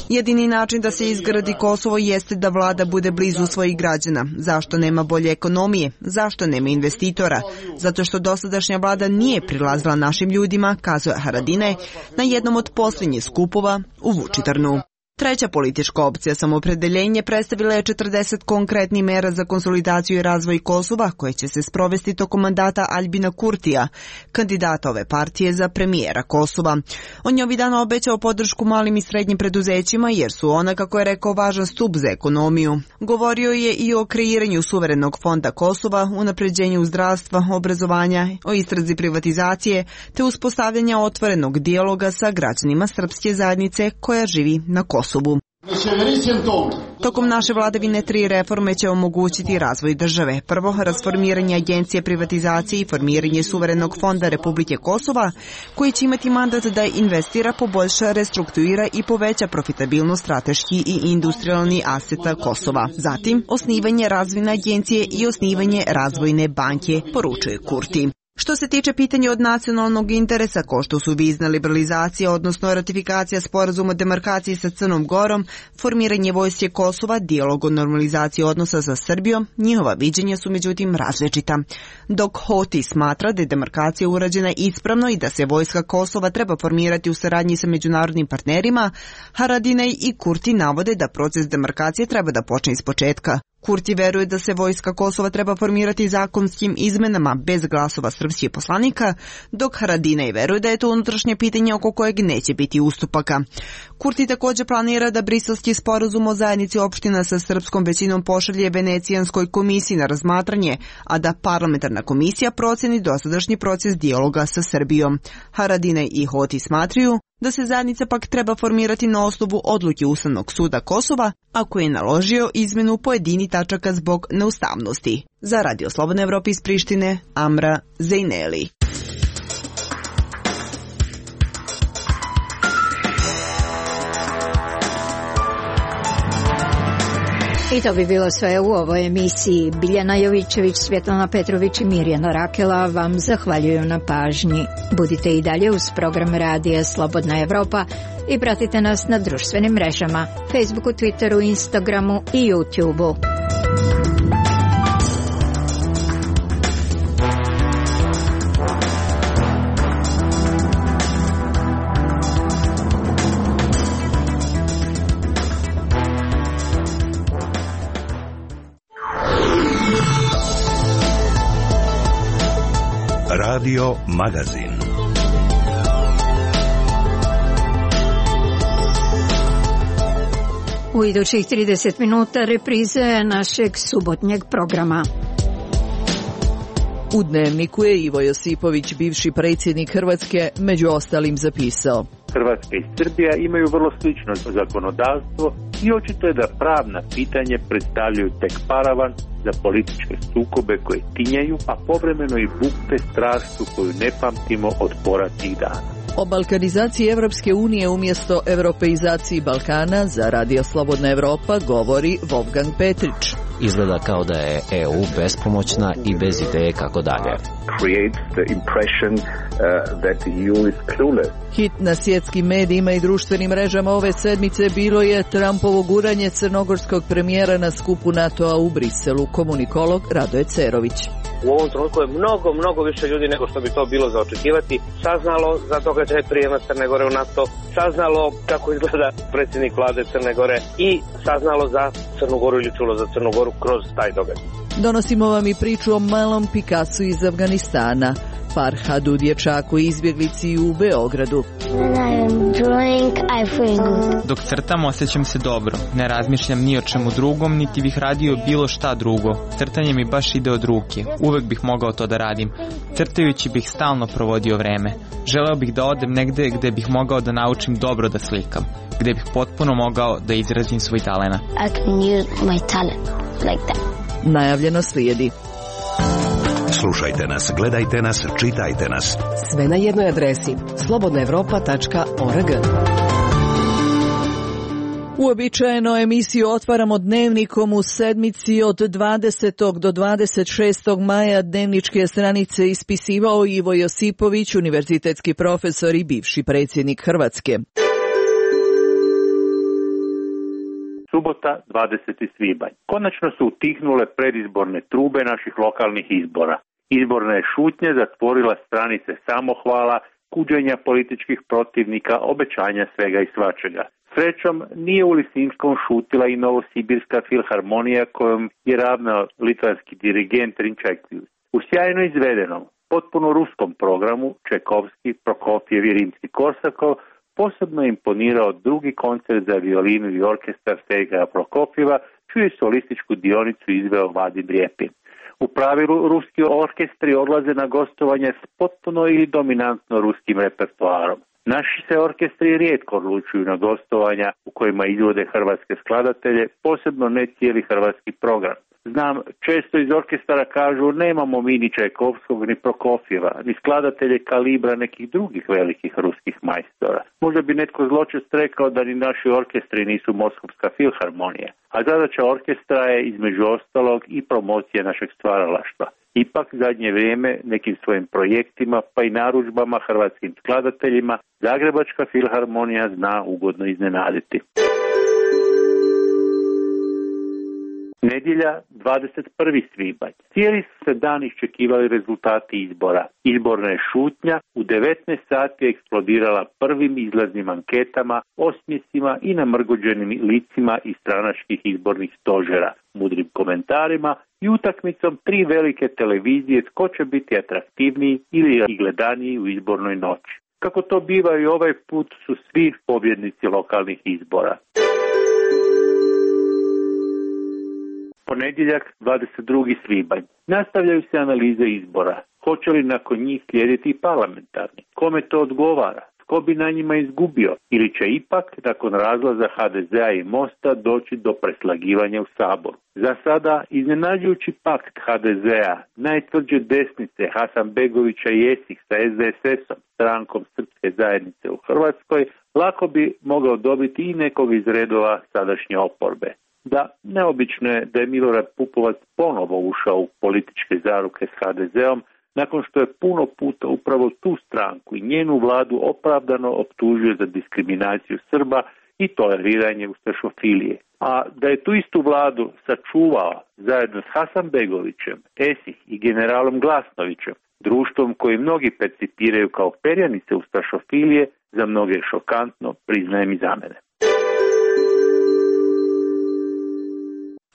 Jedini način da se izgradi Kosovo jeste da vlada bude blizu svojih građana. Zašto nema bolje ekonomije? Zašto nema investitora? Zato što dosadašnja vlada nije prilazila našim ljudima, kazuje Haradinaj na jednom od posljednjih skupova u Vučitrnu. Treća politička opcija Samopredeljenje predstavila je 40 konkretnih mera za konsolidaciju i razvoj Kosova koje će se sprovesti tokom mandata Albina Kurtija, kandidata ove partije za premijera Kosova. On je ovih dana obećao podršku malim i srednjim preduzećima jer su ona, kako je rekao, važan stup za ekonomiju. Govorio je i o kreiranju suverenog fonda Kosova, unapređenju zdravstva, obrazovanja, o istrazi privatizacije te uspostavljanja otvorenog dijaloga sa građanima srpske zajednice koja živi na Kosovu. Tokom naše vladavine 3 reforme će omogućiti razvoj države. Prvo, rasformiranje Agencije privatizacije i formiranje suverenog fonda Republike Kosova, koji će imati mandat da investira, poboljša, restrukturira i poveća profitabilnost strateški i industrijalni aseta Kosova. Zatim, osnivanje razvojne agencije i osnivanje razvojne banke, poručuje Kurti. Što se tiče pitanja od nacionalnog interesa, kao što su vizna liberalizacija, odnosno ratifikacija sporazuma o demarkaciji sa Crnom Gorom, formiranje vojske Kosova, dijalog o normalizaciji odnosa sa Srbijom, njihova viđenja su međutim različita. Dok Hoti smatra da je demarkacija urađena ispravno i da se vojska Kosova treba formirati u saradnji sa međunarodnim partnerima, Haradinaj i Kurti navode da proces demarkacije treba da počne iz početka, Kurti veruje da se vojska Kosova treba formirati zakonskim izmenama bez glasova srpskih poslanika, dok Haradinaj veruje da je to unutrašnje pitanje oko kojeg neće biti ustupaka. Kurti također planira da briselski sporazum o zajednici opština sa srpskom većinom pošalje Venecijanskoj komisiji na razmatranje, a da parlamentarna komisija proceni dosadašnji proces dijaloga sa Srbijom. Haradinaj i Hoti smatraju da se zajednica pak treba formirati na osnovu odluke Ustavnog suda Kosova, ako je naložio izmenu pojedini tačaka zbog neustavnosti. Za Radio Slobodna Evropa iz Prištine, Amra Zejneli. I to bi bilo sve u ovoj emisiji. Biljana Jovićević, Svjetlana Petrović i Mirjana Rakela vam zahvaljuju na pažnji. Budite i dalje uz program Radija Slobodna Evropa i pratite nas na društvenim mrežama, Facebooku, Twitteru, Instagramu i YouTubeu. Radio Magazin. U idućih 30 minuta reprize našeg subotnjeg programa. U Dnevniku je Ivo Josipović, bivši predsjednik Hrvatske, među ostalim zapisao: Hrvatska i Srbija imaju vrlo slično zakonodavstvo i očito je da pravna pitanja predstavljaju tek paravan za političke sukobe koje tinjaju, a povremeno i bukte strašću koju ne pamtimo od poratnih dana. O balkanizaciji Evropske unije umjesto europeizaciji Balkana za Radio Slobodna Evropa govori Wolfgang Petrić. Izgleda kao da je EU bespomoćna i bez ideje kako dalje. Hit na svjetskim medijima i društvenim mrežama ove sedmice bilo je Trumpovo guranje crnogorskog premijera na skupu NATO-a u Briselu, komunikolog Radoje Cerović. U ovom trenutku je mnogo više ljudi nego što bi to bilo za očekivati saznalo za događaj prijema Crne Gore u NATO, saznalo kako izgleda predsjednik vlade Crne Gore i saznalo za Crnu Goru ili čulo za Crnu Goru kroz taj događaj. Donosimo vam i priču o malom Pikasu iz Afganistana, Farhadu, dječaku i izbjeglici u Beogradu. Dok crtam osjećam se dobro, ne razmišljam ni o čemu drugom, niti bih radio bilo šta drugo. Crtanje mi baš ide od ruke, uvek bih mogao to da radim. Crtajući bih stalno provodio vreme. Želeo bih da odem negde gde bih mogao da naučim dobro da slikam, gde bih potpuno mogao da izrazim svoj talenat. Najavljeno slijedi. Slušajte nas, gledajte nas, čitajte nas. Sve na jednoj adresi slobodnaevropa.org. Uobičajeno emisiju otvaramo Dnevnikom u sedmici od 20. do 26. maja. Dnevničke stranice ispisivao Ivo Josipović, univerzitetski profesor i bivši predsjednik Hrvatske. Subota, 20. svibanj. Konačno su utihnule predizborne trube naših lokalnih izbora. Izborna je šutnja zatvorila stranice samohvala, kuđenja političkih protivnika, obećanja svega i svačega. Srećom, nije u Lisinskom šutila i Novosibirska filharmonija kojom je ravnao litvanski dirigent Rinčajkvius. U sjajno izvedenom, potpuno ruskom programu Čajkovski, Prokofjev i Rimski-Korsakov posebno imponirao drugi koncert za violinu i orkestar Sergeja Prokofjeva, čiju je solističku dionicu izveo Vadim Rjepin. U pravilu ruski orkestri odlaze na gostovanje s potpuno ili dominantno ruskim repertoarom. Naši se orkestri rijetko odlučuju na gostovanja u kojima izvode hrvatske skladatelje, posebno ne cijeli hrvatski program. Znam, često iz orkestara kažu nemamo mi ni Čajkovskog ni Prokofjeva, ni skladatelje kalibra nekih drugih velikih ruskih majstora. Možda bi netko zločest rekao da ni naši orkestri nisu Moskovska filharmonija, a zadaća orkestra je između ostalog i promocija našeg stvaralaštva. Ipak zadnje vrijeme nekim svojim projektima pa i narudžbama hrvatskim skladateljima Zagrebačka filharmonija zna ugodno iznenaditi. Nedjelja, 21. svibanj. Cijeli su se dan iščekivali rezultati izbora. Izborna je šutnja u 19 sati eksplodirala prvim izlaznim anketama, osmjesima i namrgođenim licima iz stranačkih izbornih stožera, mudrim komentarima i utakmicom 3 velike televizije tko će biti atraktivniji ili gledaniji u izbornoj noći. Kako to biva i ovaj put su svi pobjednici lokalnih izbora. Ponedjeljak, 22. svibanj. Nastavljaju se analize izbora. Hoće li nakon njih slijediti i parlamentarni? Kome to odgovara? Tko bi na njima izgubio? Ili će ipak, nakon razlaza HDZ-a i Mosta, doći do preslagivanja u Saboru? Za sada, iznenađujući pakt HDZ-a, najtvrđe desnice Hasanbegovića i Esih sa SDSS-om, strankom Srpske zajednice u Hrvatskoj, lako bi mogao dobiti i nekog iz redova sadašnje oporbe. Da, neobično je da je Milorad Pupovac ponovo ušao u političke zaruke s HDZ-om, nakon što je puno puta upravo tu stranku i njenu vladu opravdano optužio za diskriminaciju Srba i toleriranje ustašofilije. A da je tu istu vladu sačuvao zajedno s Hasanbegovićem, Esih i generalom Glasnovićem, društvom koji mnogi percipiraju kao perjanice ustašofilije, za mnoge je šokantno, priznajem i za mene.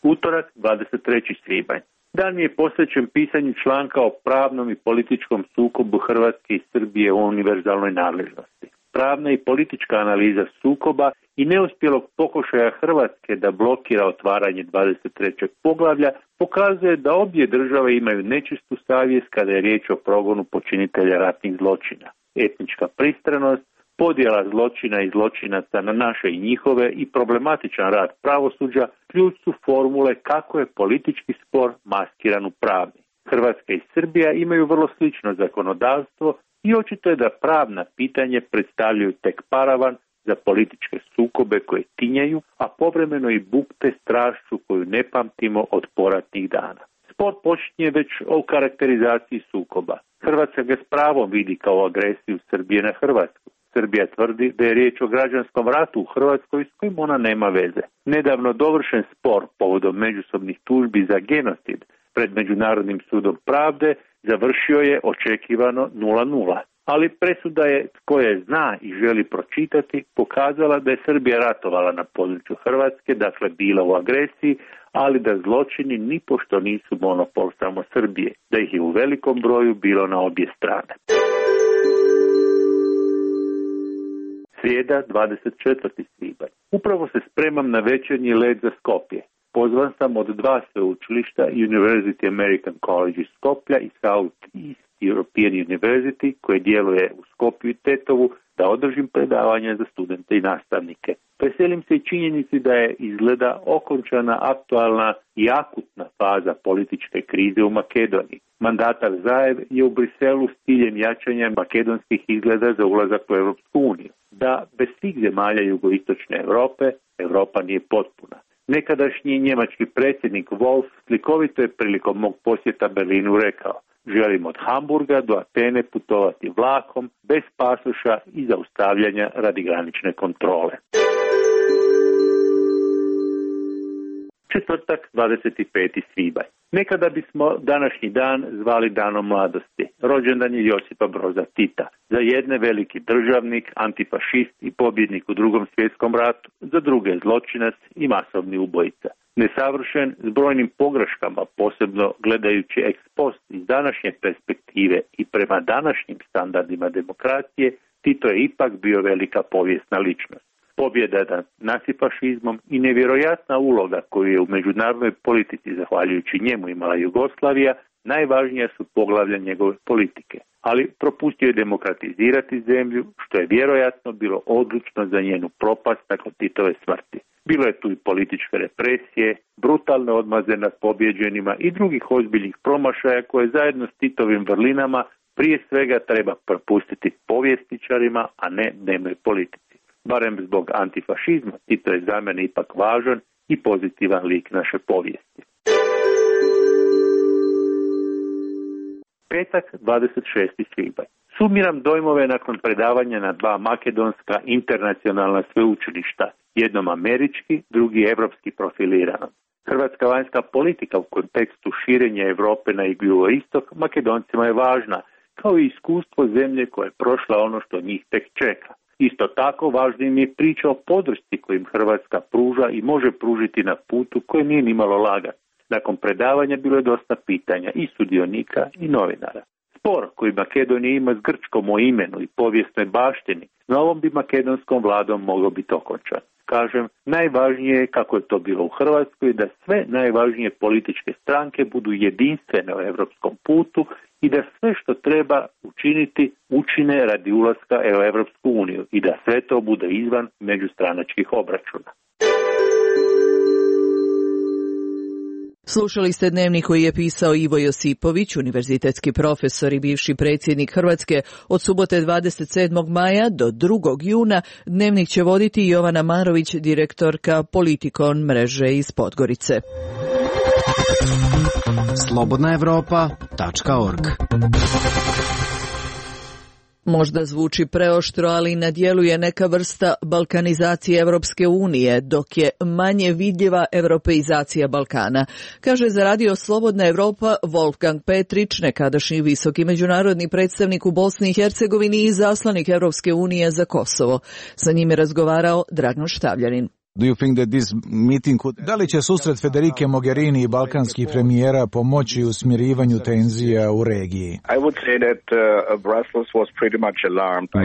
Utorak, 23. svibanj. Dan je posvećen pisanju članka o pravnom i političkom sukobu Hrvatske i Srbije u univerzalnoj nadležnosti. Pravna i politička analiza sukoba i neuspjelog pokušaja Hrvatske da blokira otvaranje 23. poglavlja pokazuje da obje države imaju nečistu savjest kada je riječ o progonu počinitelja ratnih zločina. Etnička pristranost, podjela zločina i zločinaca na naše i njihove i problematičan rad pravosuđa ključ su formule kako je politički spor maskiran u pravni. Hrvatska i Srbija imaju vrlo slično zakonodavstvo i očito je da pravna pitanje predstavljaju tek paravan za političke sukobe koje tinjaju, a povremeno i bukte strašću koju ne pamtimo od poratnih dana. Spor počinje već o karakterizaciji sukoba. Hrvatska ga s pravom vidi kao agresiju Srbije na Hrvatsku. Srbija tvrdi da je riječ o građanskom ratu u Hrvatskoj s kojim ona nema veze. Nedavno dovršen spor povodom međusobnih tužbi za genocid pred Međunarodnim sudom pravde završio je očekivano 0:0. Ali presuda je, tko je zna i želi pročitati, pokazala da je Srbija ratovala na području Hrvatske, dakle bila u agresiji, ali da zločini nipošto nisu monopol samo Srbije, da ih je u velikom broju bilo na obje strane. Srijeda, 24. svibanj. Upravo se spremam na večernji let za Skopje. Pozvan sam od 2 sveučilišta, University American College iz Skoplja i South East European University, koje djeluje u Skopju i Tetovu, da održim predavanja za studente i nastavnike. Veselim se i činjenici da je izgleda okončana aktualna i akutna faza političke krize u Makedoniji. Mandatar Zaev je u Briselu s ciljem jačanja makedonskih izgleda za ulazak u Europsku uniju. Da bez svih zemalja jugoistočne Europe, Europa nije potpuna. Nekadašnji njemački predsjednik Wolf slikovito je prilikom mog posjeta Berlinu rekao: želim od Hamburga do Atene putovati vlakom, bez pasoša i zaustavljanja radi granične kontrole. Četvrtak, 25. svibanj. Nekada bismo današnji dan zvali danom mladosti. Rođendan je Josipa Broza Tita. Za jedne veliki državnik, antifašist i pobjednik u Drugom svjetskom ratu, za druge zločinac i masovni ubojica. Nesavršen, s brojnim pogreškama, posebno gledajući ex post iz današnje perspektive i prema današnjim standardima demokracije, Tito je ipak bio velika povijesna ličnost. Pobjeda nad nacifašizmom i nevjerojatna uloga koju je u međunarodnoj politici zahvaljujući njemu imala Jugoslavija, najvažnija su poglavlja njegove politike. Ali propustio je demokratizirati zemlju, što je vjerojatno bilo odlučno za njenu propast nakon Titove smrti. Bilo je tu i političke represije, brutalne odmaze nad pobjeđenima i drugih ozbiljnih promašaja koje zajedno s Titovim vrlinama prije svega treba propustiti povjesničarima, a ne dnevnoj politici. Barem zbog antifašizma, Tito je za mene ipak važan i pozitivan lik naše povijesti. Petak, 26. svibanj. Sumiram dojmove nakon predavanja na 2 makedonska internacionalna sveučilišta, jednom američki, drugi evropski profilirano. Hrvatska vanjska politika u kontekstu širenja Europe na jugoistok Makedoncima je važna, kao i iskustvo zemlje koja je prošla ono što njih tek čeka. Isto tako važna im je priča o podršci kojim Hrvatska pruža i može pružiti na putu koji nije nimalo lagan. Nakon predavanja bilo je dosta pitanja i sudionika i novinara. Spor koji Makedonija ima s Grčkom o imenu i povijesnoj baštini, s novom bi makedonskom vladom mogao biti okončan. Kažem, najvažnije je, kako je to bilo u Hrvatskoj, da sve najvažnije političke stranke budu jedinstvene u europskom putu i da sve što treba učiniti učine radi ulaska u Europsku uniju i da sve to bude izvan međustranačkih obračuna. Slušali ste dnevnik koji je pisao Ivo Josipović, univerzitetski profesor i bivši predsjednik Hrvatske. Od subote 27. maja do 2. juna dnevnik će voditi Jovana Marović, direktorka Politikon mreže iz Podgorice. slobodnaevropa.org. Možda zvuči preoštro, ali na djelu je neka vrsta balkanizacije Europske unije, dok je manje vidljiva europeizacija Balkana, kaže za radio Slobodna Evropa Wolfgang Petrić, nekadašnji visoki međunarodni predstavnik u Bosni i Hercegovini i zaslanik Europske unije za Kosovo. Sa njim je razgovarao Dragan Štavljanin. Da li će susret Federike Mogherini i balkanskih premijera pomoći u smirivanju tenzija u regiji?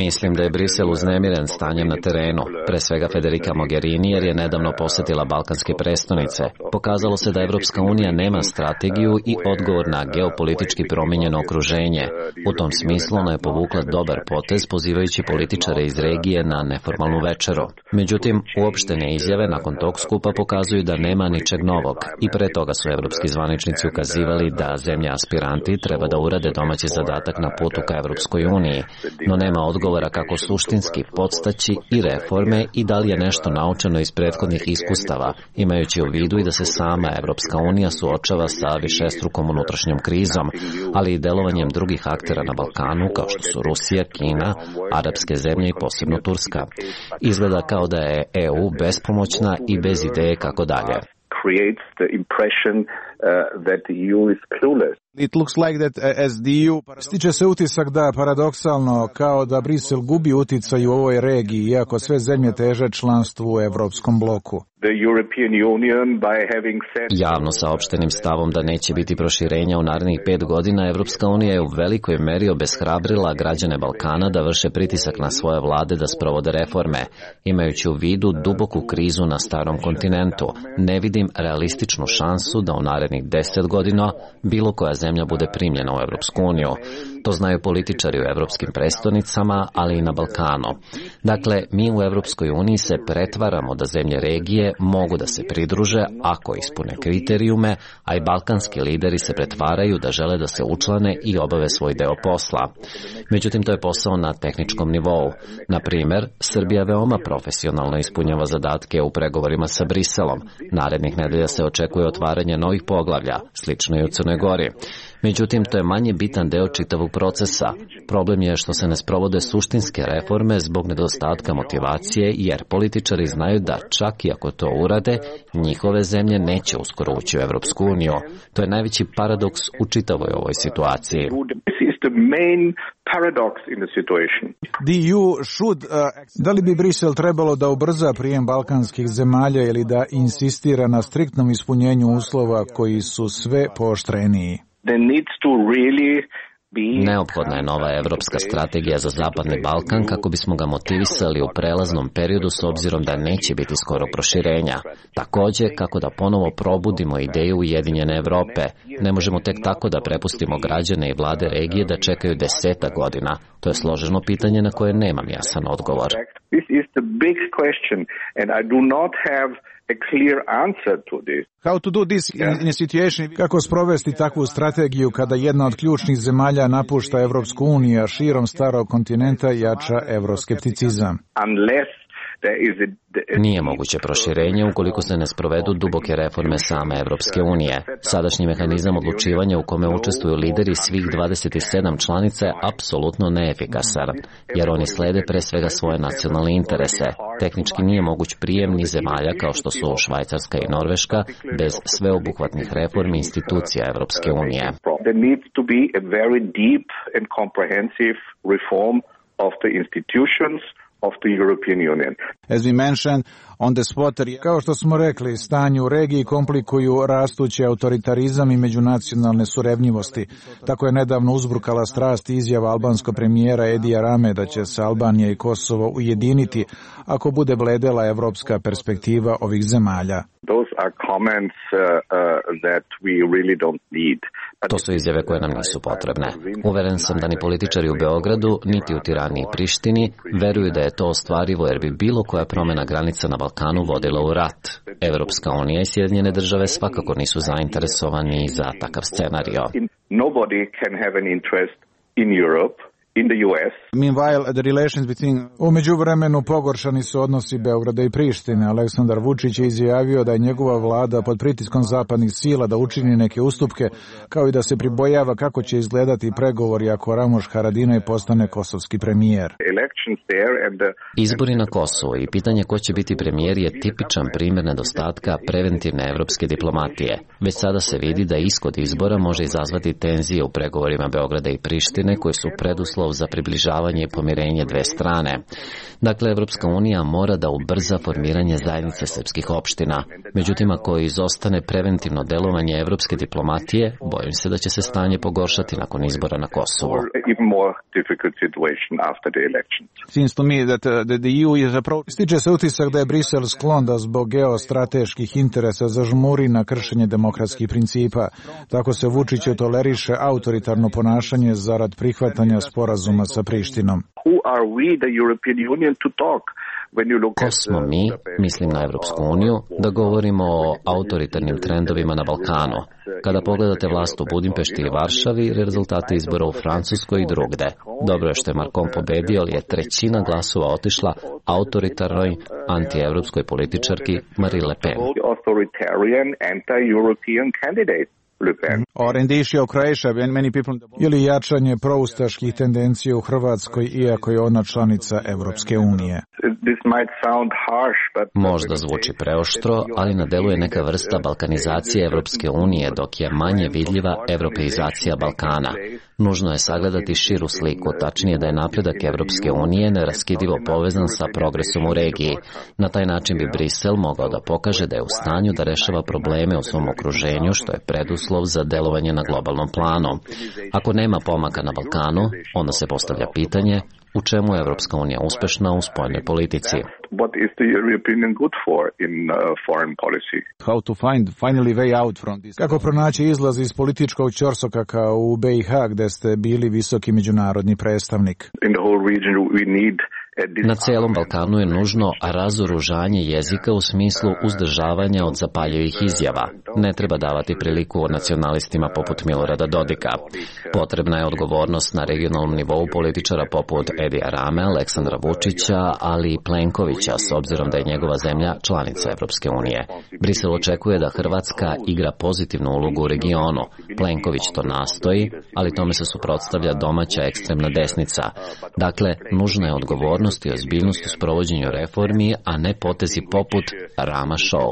Mislim da je Brisel uznemiren stanjem na terenu, pre svega Federica Mogherini, jer je nedavno posjetila balkanske prestonice. Pokazalo se da Evropska unija nema strategiju i odgovor na geopolitički promijenjeno okruženje. U tom smislu ona je povukla dobar potez pozivajući političare iz regije na neformalnu večeru. Međutim, uopštene izjave nakon tog skupa pokazuju da nema ničeg novog i pre toga su evropski zvaničnici ukazivali da zemlje aspiranti treba da urade domaći zadatak na putu ka Evropskoj uniji, no nema odgovora kako suštinski podstaći i reforme i da li je nešto naučeno iz prethodnih iskustava, imajući u vidu i da se sama Evropska unija suočava sa višestrukom unutrašnjom krizom, ali i delovanjem drugih aktera na Balkanu kao što su Rusija, Kina, arapske zemlje i posebno Turska. Izgleda kao da je EU bespomoćna i bez ideje kako dalje. Stiče se utisak da, paradoksalno, kao da Brisel gubi uticaj u ovoj regiji, iako sve zemlje teže članstvu u Evropskom bloku. Javno saopštenim stavom da neće biti proširenja u narednih 5 godina, Evropska unija je u velikoj meri obeshrabrila građane Balkana da vrše pritisak na svoje vlade da sprovode reforme, imajući u vidu duboku krizu na starom kontinentu. Ne vidim realističnu šansu da u narednih 10 godina bilo koja zemlja bude primljena u Evropsku uniju. To znaju političari u evropskim prestonicama, ali i na Balkanu. Dakle, mi u Evropskoj uniji se pretvaramo da zemlje regije mogu da se pridruže ako ispune kriterijume, a i balkanski lideri se pretvaraju da žele da se učlane i obave svoj deo posla. Međutim, to je posao na tehničkom nivou. Na primjer, Srbija veoma profesionalno ispunjava zadatke u pregovorima sa Briselom. Narednih nedelja se očekuje otvaranje novih poglavlja, slično i u Crnoj Gori. Međutim, to je manje bitan deo čitavog procesa. Problem je što se ne sprovode suštinske reforme zbog nedostatka motivacije, jer političari znaju da čak i ako to urade, njihove zemlje neće uskoro ući u Evropsku uniju. To je najveći paradoks u čitavoj ovoj situaciji. Da li bi Brisel trebalo da ubrza prijem balkanskih zemalja ili da insistira na striktnom ispunjenju uslova koji su sve pooštreniji? Neophodna je nova evropska strategija za Zapadni Balkan kako bismo ga motivisali u prelaznom periodu s obzirom da neće biti skoro proširenja. Također, kako da ponovo probudimo ideju Ujedinjene Evrope. Ne možemo tek tako da prepustimo građane i vlade regije da čekaju 10 godina. To je složeno pitanje na koje nemam jasan odgovor. Kako sprovesti takvu strategiju kada jedna od ključnih zemalja napušta Evropsku uniju, a širom starog kontinenta jača evroskepticizam? Nije moguće proširenje ukoliko se ne sprovedu duboke reforme same Evropske unije. Sadašnji mehanizam odlučivanja u kome učestvuju lideri svih 27 članica je apsolutno neefikasan, jer oni slede pre svega svoje nacionalne interese. Tehnički nije moguć prijem ni zemalja kao što su Švajcarska i Norveška bez sveobuhvatnih reformi institucija Evropske unije. There needs to be a very deep and comprehensive reform of the institutions of the European Union. As we mentioned on the spot, kao što smo rekli, stanje u regiji komplikuju rastući autoritarizam i međunacionalne surevnjivosti. Tako je nedavno uzburkala strast izjava albanskog premijera Edija Rame da će se Albanija i Kosovo ujediniti ako bude bledela evropska perspektiva ovih zemalja. Those are comments that we really don't need. To su izjave koje nam nisu potrebne. Uveren sam da ni političari u Beogradu, niti u Tirani i Prištini veruju da je to ostvarivo, jer bi bilo koja promjena granica na Balkanu vodila u rat. Evropska unija i Sjedinjene države svakako nisu zainteresovani za takav scenario. Nobody can have an interest in Europe. In the US. Meanwhile, the relations between... U međuvremenu pogoršani su odnosi Beograda i Prištine. Aleksandar Vučić je izjavio da je njegova vlada pod pritiskom zapadnih sila da učini neke ustupke, kao i da se pribojava kako će izgledati pregovori ako Ramoš Haradinaj postane kosovski premijer. Izbori na Kosovu i pitanje ko će biti premijer je tipičan primjer nedostatka preventivne evropske diplomatije. Već sada se vidi da ishod izbora može izazvati tenzije u pregovorima Beograda i Prištine koji su preduslov za približavanje i pomirenje dve strane. Dakle, Evropska unija mora da ubrza formiranje zajednice srpskih opština. Međutim, ako izostane preventivno delovanje evropske diplomatije, bojim se da će se stanje pogoršati nakon izbora na Kosovu. Stiče se utisak da je Brisel sklon da zbog geostrateških interesa zažmuri na kršenje demokratskih principa. Tako se Vučiću toleriše autoritarno ponašanje zarad prihvatanja sporazuma sa Prištinom. Ko smo mi, mislim na Evropsku uniju, da govorimo o autoritarnim trendovima na Balkanu? Kada pogledate vlast u Budimpešti i Varšavi, rezultate izbora u Francuskoj i drugde. Dobro je što je Macron pobedio, ali je trećina glasova otišla autoritarnoj, antievropskoj političarki Marine Le Pen. Ili jačanje proustaških tendencija u Hrvatskoj, iako je ona članica Evropske unije. Možda zvuči preoštro, ali na delu je neka vrsta balkanizacije Evropske unije, dok je manje vidljiva evropeizacija Balkana. Nužno je sagledati širu sliku, tačnije da je napredak Evropske unije neraskidivo povezan sa progresom u regiji. Na taj način bi Brisel mogao da pokaže da je u stanju da rešava probleme u svom okruženju, što je preduslov za delovanje na globalnom planu. Ako nema pomaka na Balkanu, onda se postavlja pitanje u čemu je Evropska unija uspešna u spoljnoj politici. Kako pronaći izlaz iz političkog ćorsokaka u BiH gde ste bili visoki međunarodni predstavnik? Na celom Balkanu je nužno razoružanje jezika u smislu uzdržavanja od zapaljivih izjava. Ne treba davati priliku nacionalistima poput Milorada Dodika. Potrebna je odgovornost na regionalnom nivou političara poput Edija Rame, Aleksandra Vučića, ali i Plenkovića, s obzirom da je njegova zemlja članica Evropske unije. Brisel očekuje da Hrvatska igra pozitivnu ulogu u regionu. Plenković to nastoji, ali tome se suprotstavlja domaća ekstremna desnica. Dakle, nužna je odgovornost i ozbiljnost u sprovođenju reformi, a ne potezi poput Rama Show.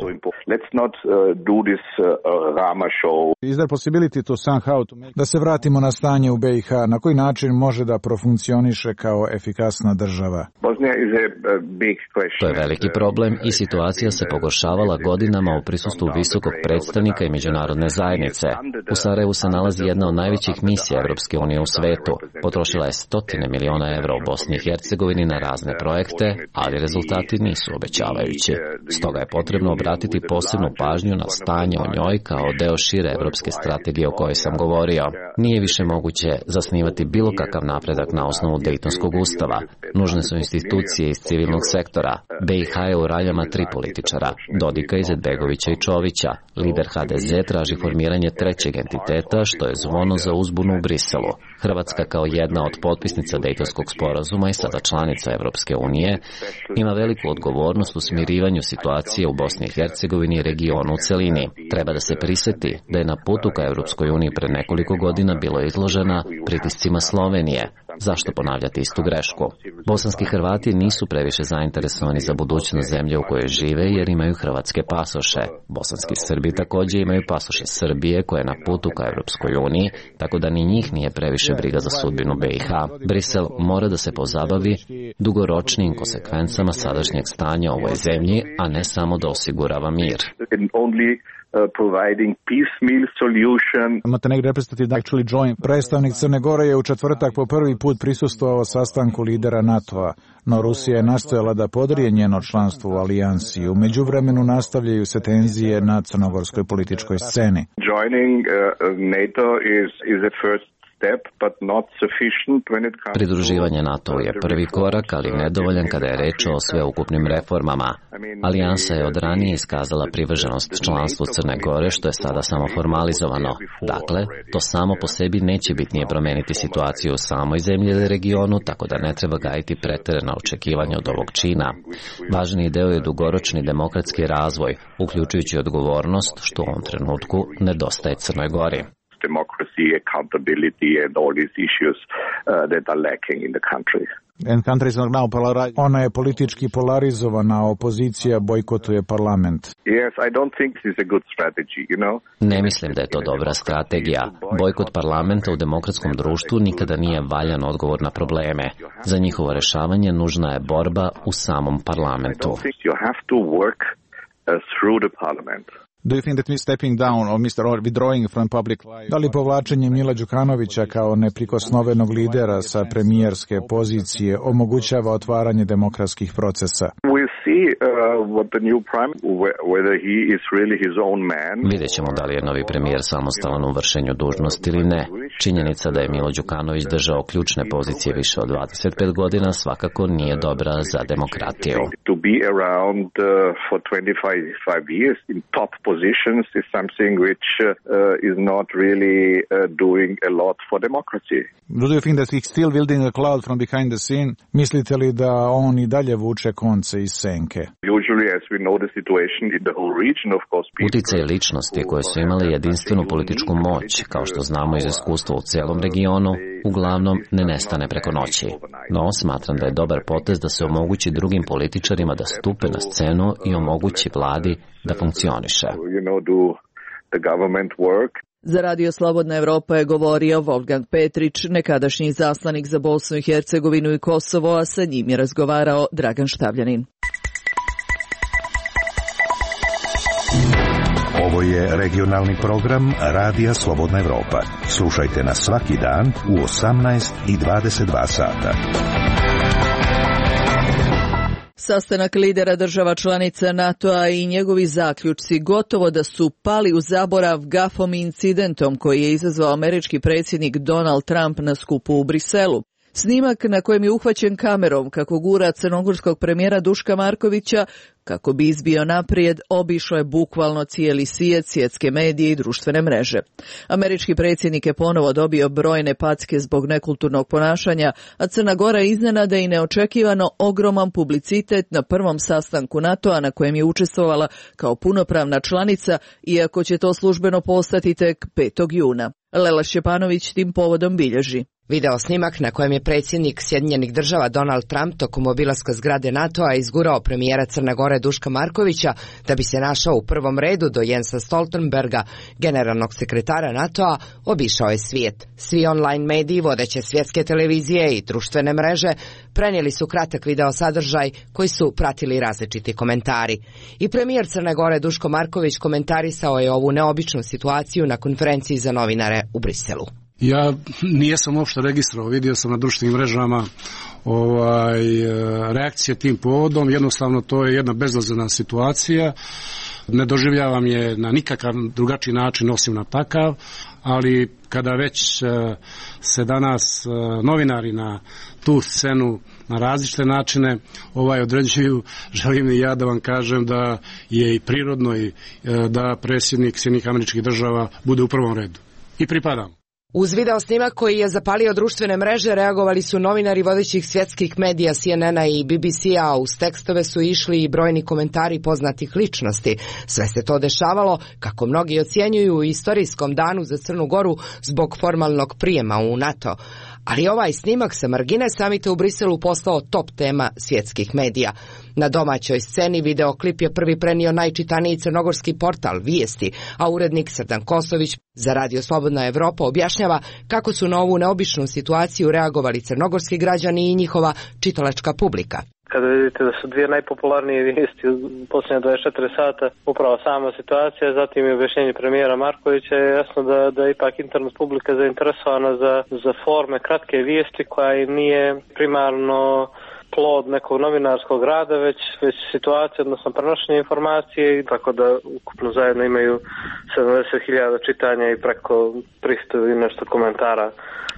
Da se vratimo na stanje u BiH, na koji način može da profunkcioniše kao efikasna država? To je veliki problem i situacija se pogoršavala godinama u prisustvu visokog predstavnika i međunarodne zajednice. U Sarajevu se nalazi jedna od najvećih misija Evropske unije u svetu. Potrošila je 100 miliona evra u Bosni i Hercegovini na razne projekte, ali rezultati nisu obećavajući. Stoga je potrebno obratiti posebnu pažnju na stanje o njoj kao deo šire evropske strategije o kojoj sam govorio. Nije više moguće zasnivati bilo kakav napredak na osnovu Dejtonskog ustava. Nužne su institucije iz civilnog sektora. izbora. BiH je u raljama 3 političara, Dodika, Izetbegovića i Čovića. Lider HDZ traži formiranje trećeg entiteta, što je zvono za uzbunu u Briselu. Hrvatska kao jedna od potpisnica Dejtonskog sporazuma i sada članica Evropske unije ima veliku odgovornost u smirivanju situacije u Bosni i Hercegovini i regionu u celini. Treba da se priseti da je na putu ka Evropskoj uniji pre nekoliko godina bilo izložena pritiscima Slovenije. Zašto ponavljati istu grešku? Bosanski Hrvati nisu previše zainteresovani za budućnost zemlje u kojoj žive jer imaju hrvatske pasoše. Bosanski Srbi također imaju pasoše Srbije koja je na putu ka Evropskoj uniji, tako da ni njih nije previše briga za sudbinu BiH. Brisel mora da se pozabavi dugoročnim konsekvencama sadašnjeg stanja u ovoj zemlji, a ne samo da osigurava mir. Providing piecemeal solution. Montenegro representative actually joined. Predstavnik Crne Gore je u četvrtak po prvi put prisustvovao sastanku lidera NATO-a, no Rusija je nastojala da podrije njeno članstvo u alijansi. U međuvremenu nastavljaju se tenzije na crnogorskoj političkoj sceni. Joining NATO is a first step, but not sufficient when it comes. Pridruživanje NATO je prvi korak, ali nedovoljan kada je reč o sveukupnim reformama. Alijansa je od ranije iskazala privrženost članstvu Crne Gore, što je sada samo formalizovano. Dakle, to samo po sebi neće bitnije promeniti situaciju u samoj zemlji ili regionu, tako da ne treba gajiti preterana očekivanja od ovog čina. Važniji deo je dugoročni demokratski razvoj, uključujući odgovornost, što u ovom trenutku nedostaje Crnoj Gori. Democracy, accountability and all these issues that are lacking in the country. Ona je politički polarizovana, opozicija bojkotuje parlament. Yes, I don't think this is a good strategy, you know. Ne mislim da je to dobra strategija. Bojkot parlamenta u demokratskom društvu nikada nije valjan odgovor na probleme. Za njihovo rešavanje nužna je borba u samom parlamentu. You have to work through the parliament. Do you think that stepping down or withdrawing from public life? Da li povlačenje Mila Đukanovića kao neprikosnovenog lidera sa premijerske pozicije omogućava otvaranje demokratskih procesa? Vidjet ćemo da li je novi premijer samostalan u vršenju dužnosti ili ne. Činjenica da je Milo Đukanović držao ključne pozicije više od 25 godina svakako nije dobra za demokratiju. To be around for 25 years in top positions is something which is not really doing a lot for democracy. Do you think that he's still building a cloud from behind the scene? Mislite li da on i dalje vuče konce iz senke? Usually, as we know the situation in the whole region, of course, uticaj ličnosti koje su imali jedinstvenu političku moć, kao što znamo iz iskustva u celom regionu, uglavnom ne nestane preko noći. No, smatram da je dobar potez da se omogući drugim političarima da stupe na scenu i omogući vladi da funkcioniše. Za Radio Slobodna Evropa je govorio Wolfgang Petrić, nekadašnji izaslanik za Bosnu i Hercegovinu i Kosovo, a sa njim je razgovarao Dragan Štavljanin. Ovo je regionalni program Radija Slobodna Evropa. Slušajte nas svaki dan u 18 i 22 sata. Sastanak lidera država članica NATO-a i njegovi zaključci gotovo da su pali u zaborav gafom i incidentom koji je izazvao američki predsjednik Donald Trump na skupu u Briselu. Snimak na kojem je uhvaćen kamerom kako gura crnogorskog premijera Duška Markovića kako bi izbio naprijed, obišao je bukvalno cijeli svijet, svjetske medije i društvene mreže. Američki predsjednik je ponovo dobio brojne packe zbog nekulturnog ponašanja, a Crna Gora iznenada i neočekivano ogroman publicitet na prvom sastanku NATO-a na kojem je učestvovala kao punopravna članica, iako će to službeno postati tek 5. juna. Lela Šćepanović tim povodom bilježi. Video snimak na kojem je predsjednik Sjedinjenih država Donald Trump tokom obilaska zgrade NATO-a izgurao premijera Crne Gore Duška Markovića da bi se našao u prvom redu do Jensa Stoltenberga, generalnog sekretara NATO-a, obišao je svijet. Svi online mediji, vodeće svjetske televizije i društvene mreže prenijeli su kratak video sadržaj koji su pratili različiti komentari. I premijer Crne Gore Duško Marković komentarisao je ovu neobičnu situaciju na konferenciji za novinare u Briselu. Ja nijesam uopšte registrovao, vidio sam na društvenim mrežama reakcije tim povodom, jednostavno to je jedna bezazlena situacija. Ne doživljavam je na nikakav drugačiji način osim na takav, ali kada već se danas novinari na tu scenu na različite načine određuju, želim i ja da vam kažem da je i prirodno i da predsjednik Sjedinjenih Američkih Država bude u prvom redu. I pripadam. Uz video snimak koji je zapalio društvene mreže reagovali su novinari vodećih svjetskih medija CNN-a i BBC-a, uz tekstove su išli i brojni komentari poznatih ličnosti. Sve se to dešavalo, kako mnogi ocjenjuju, u istorijskom danu za Crnu Goru zbog formalnog prijema u NATO. Ali ovaj snimak sa margine samita u Briselu postao top tema svjetskih medija. Na domaćoj sceni videoklip je prvi prenio najčitaniji crnogorski portal Vijesti, a urednik Srdan Kosović za Radio Slobodna Evropa objašnjava kako su na ovu neobičnu situaciju reagovali crnogorski građani i njihova čitalačka publika. Kada vidite da su dvije najpopularnije vijesti u posljednje 24 sata upravo sama situacija, zatim i objašnjenje premijera Markovića, je jasno da ipak internet publika zainteresovana za forme kratke vijesti koja im nije primarno plod nekog novinarskog rada, već situacija, odnosno prenošenje informacije, tako da ukupno zajedno imaju 70.000 čitanja i preko 300 i nešto komentara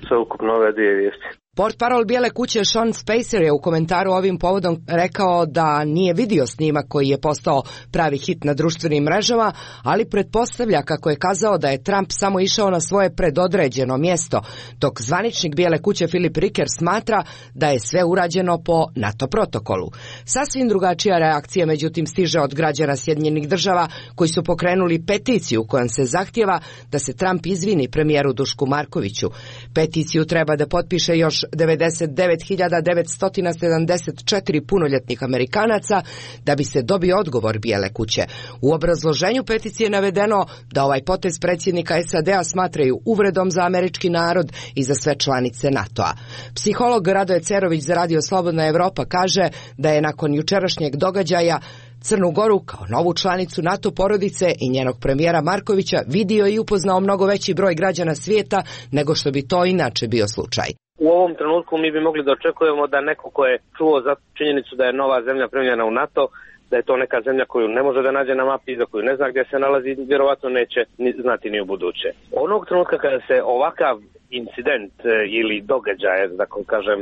sve ukupno ove dvije vijesti. Portparol Bijele kuće Sean Spicer je u komentaru ovim povodom rekao da nije vidio snimak koji je postao pravi hit na društvenim mrežama, ali pretpostavlja, kako je kazao, da je Trump samo išao na svoje predodređeno mjesto, dok zvaničnik Bijele kuće Philip Ricker smatra da je sve urađeno po NATO protokolu. Sasvim drugačija reakcija međutim stiže od građana Sjedinjenih Država koji su pokrenuli peticiju kojom se zahtijeva da se Trump izvini premijeru Dušku Markoviću. Peticiju treba da potpiše još 99.974 punoljetnih Amerikanaca da bi se dobio odgovor Bijele kuće. U obrazloženju peticije je navedeno da ovaj potez predsjednika SAD-a smatraju uvredom za američki narod i za sve članice NATO-a. Psiholog Radoje Cerović za Radio Slobodna Evropa kaže da je nakon jučerašnjeg događaja Crnu Goru kao novu članicu NATO porodice i njenog premijera Markovića vidio i upoznao mnogo veći broj građana svijeta nego što bi to inače bio slučaj. U ovom trenutku mi bi mogli da očekujemo da neko ko je čuo za činjenicu da je nova zemlja primljena u NATO, da je to neka zemlja koju ne može da nađe na mapi i za koju ne zna gdje se nalazi, vjerovatno neće znati ni u buduće. Onog trenutka kada se ovakav incident ili događaj, da kažem,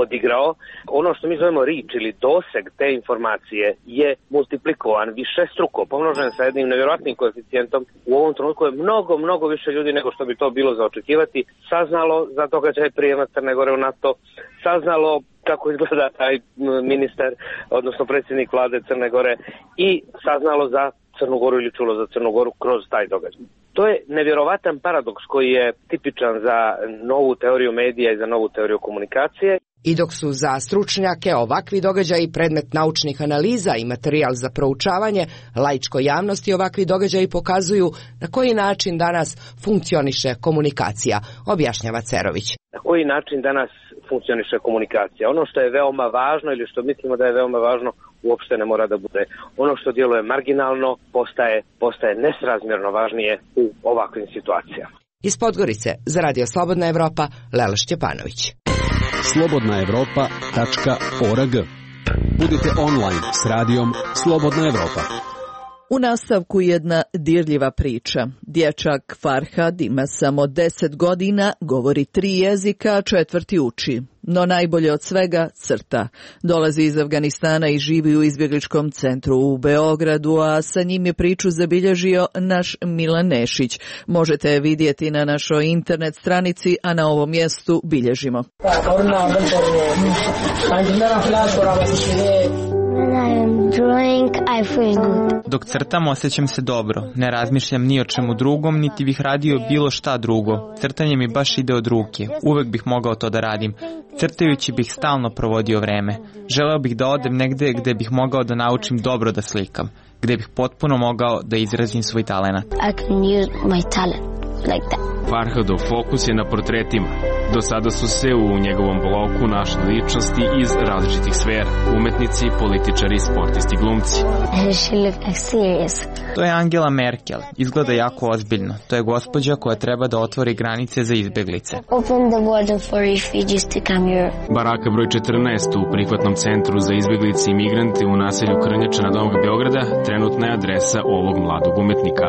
odigrao, ono što mi zovemo reach ili doseg te informacije je multiplikovan, višestruko, pomnožen sa jednim nevjerojatnim koeficijentom. U ovom trenutku je mnogo više ljudi nego što bi to bilo za očekivati saznalo za događaj prijema Crne Gore u NATO, saznalo kako izgleda taj ministar, odnosno predsjednik vlade Crne Gore i saznalo za Crnu Goru ili čulo za Crnu Goru kroz taj događaj. To je nevjerovatan paradoks koji je tipičan za novu teoriju medija i za novu teoriju komunikacije. I dok su za stručnjake ovakvi događaji predmet naučnih analiza i materijal za proučavanje, laičkoj javnosti ovakvi događaji pokazuju na koji način danas funkcioniše komunikacija, objašnjava Cerović. Na koji način danas funkcioniše komunikacija? Ono što je veoma važno ili što mislimo da je veoma važno uopšte ne mora da bude. Ono što djeluje marginalno postaje nesrazmjerno važnije u ovakvim situacijama. Iz Podgorice za Radio Slobodna Evropa, Lela Šćepanović. slobodnaevropa.org. Budite online s radijom Slobodna Evropa. U nastavku jedna dirljiva priča. Dječak Farhad ima samo 10 godina, govori 3 jezika, a 4. uči. No najbolje od svega crta. Dolazi iz Afganistana i živi u izbjegličkom centru u Beogradu, a sa njim je priču zabilježio naš Milan Nešić. Možete je vidjeti na našoj internet stranici, a na ovom mjestu bilježimo. Dok crtam osjećam se dobro, ne razmišljam ni o čemu drugom, niti bih radio bilo šta drugo. Crtanje mi baš ide od ruke, uvek bih mogao to da radim. Crtajući bih stalno provodio vreme. Želeo bih da odem negde gde bih mogao da naučim dobro da slikam, gde bih potpuno mogao da izrazim svoj talenat. Farhadov fokus je na portretima. Do sada su se u njegovom bloku našli ličnosti iz različitih sfera, umetnici, političari, sportisti, glumci. To je Angela Merkel. Izgleda jako ozbiljno. To je gospođa koja treba da otvori granice za izbeglice. Baraka broj 14 u prihvatnom centru za izbeglice i migrante u naselju Krnjača na Novog Beograda trenutna je adresa ovog mladog umetnika.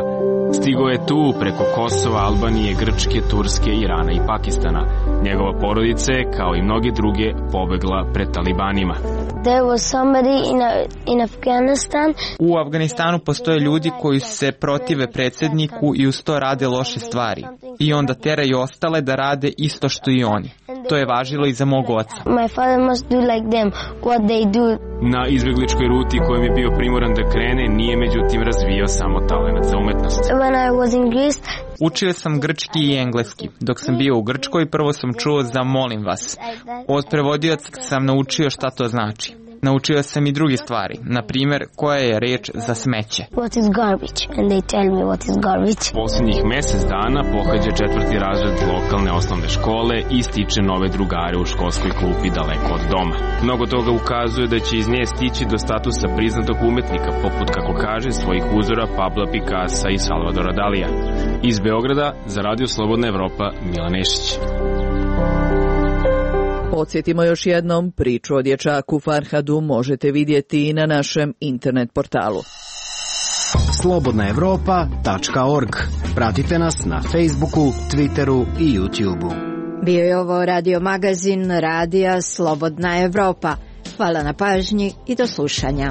Stigao je tu preko Kosova, Albanije, Grčke, Turske, Irana i Pakistana. Njegova porodica je, kao i mnogi druge, pobegla pred talibanima. U Afganistanu postoje ljudi koji se protive predsjedniku i uz to rade loše stvari. I onda teraju ostale da rade isto što i oni. To je važilo i za mog oca. Na izbegličkoj ruti kojom je bio primoran da krene, nije međutim razvijao samo talenat za umetnost. Učio sam grčki i engleski. Dok sam bio u Grčkoj, prvo sam čuo za molim vas. Od prevodioca sam naučio šta to znači. Naučio sam i druge stvari, na primjer koja je reč za smeće. Posljednjih mjesec dana pohađa 4. razred lokalne osnovne škole i stiče nove drugare u školskoj klupi daleko od doma. Mnogo toga ukazuje da će iz nje stići do statusa priznatog umetnika, poput, kako kaže, svojih uzora Pabla Picassa i Salvadora Dalija. Iz Beograda za Radio Slobodna Evropa, Milan Nešić. Podsjetimo još jednom, priču o dječaku Farhadu možete vidjeti i na našem internet portalu. Slobodnaevropa.org. Pratite nas na Facebooku, Twitteru i YouTubeu. Bio je ovo radio magazin Radija Slobodna Evropa. Hvala na pažnji i do slušanja.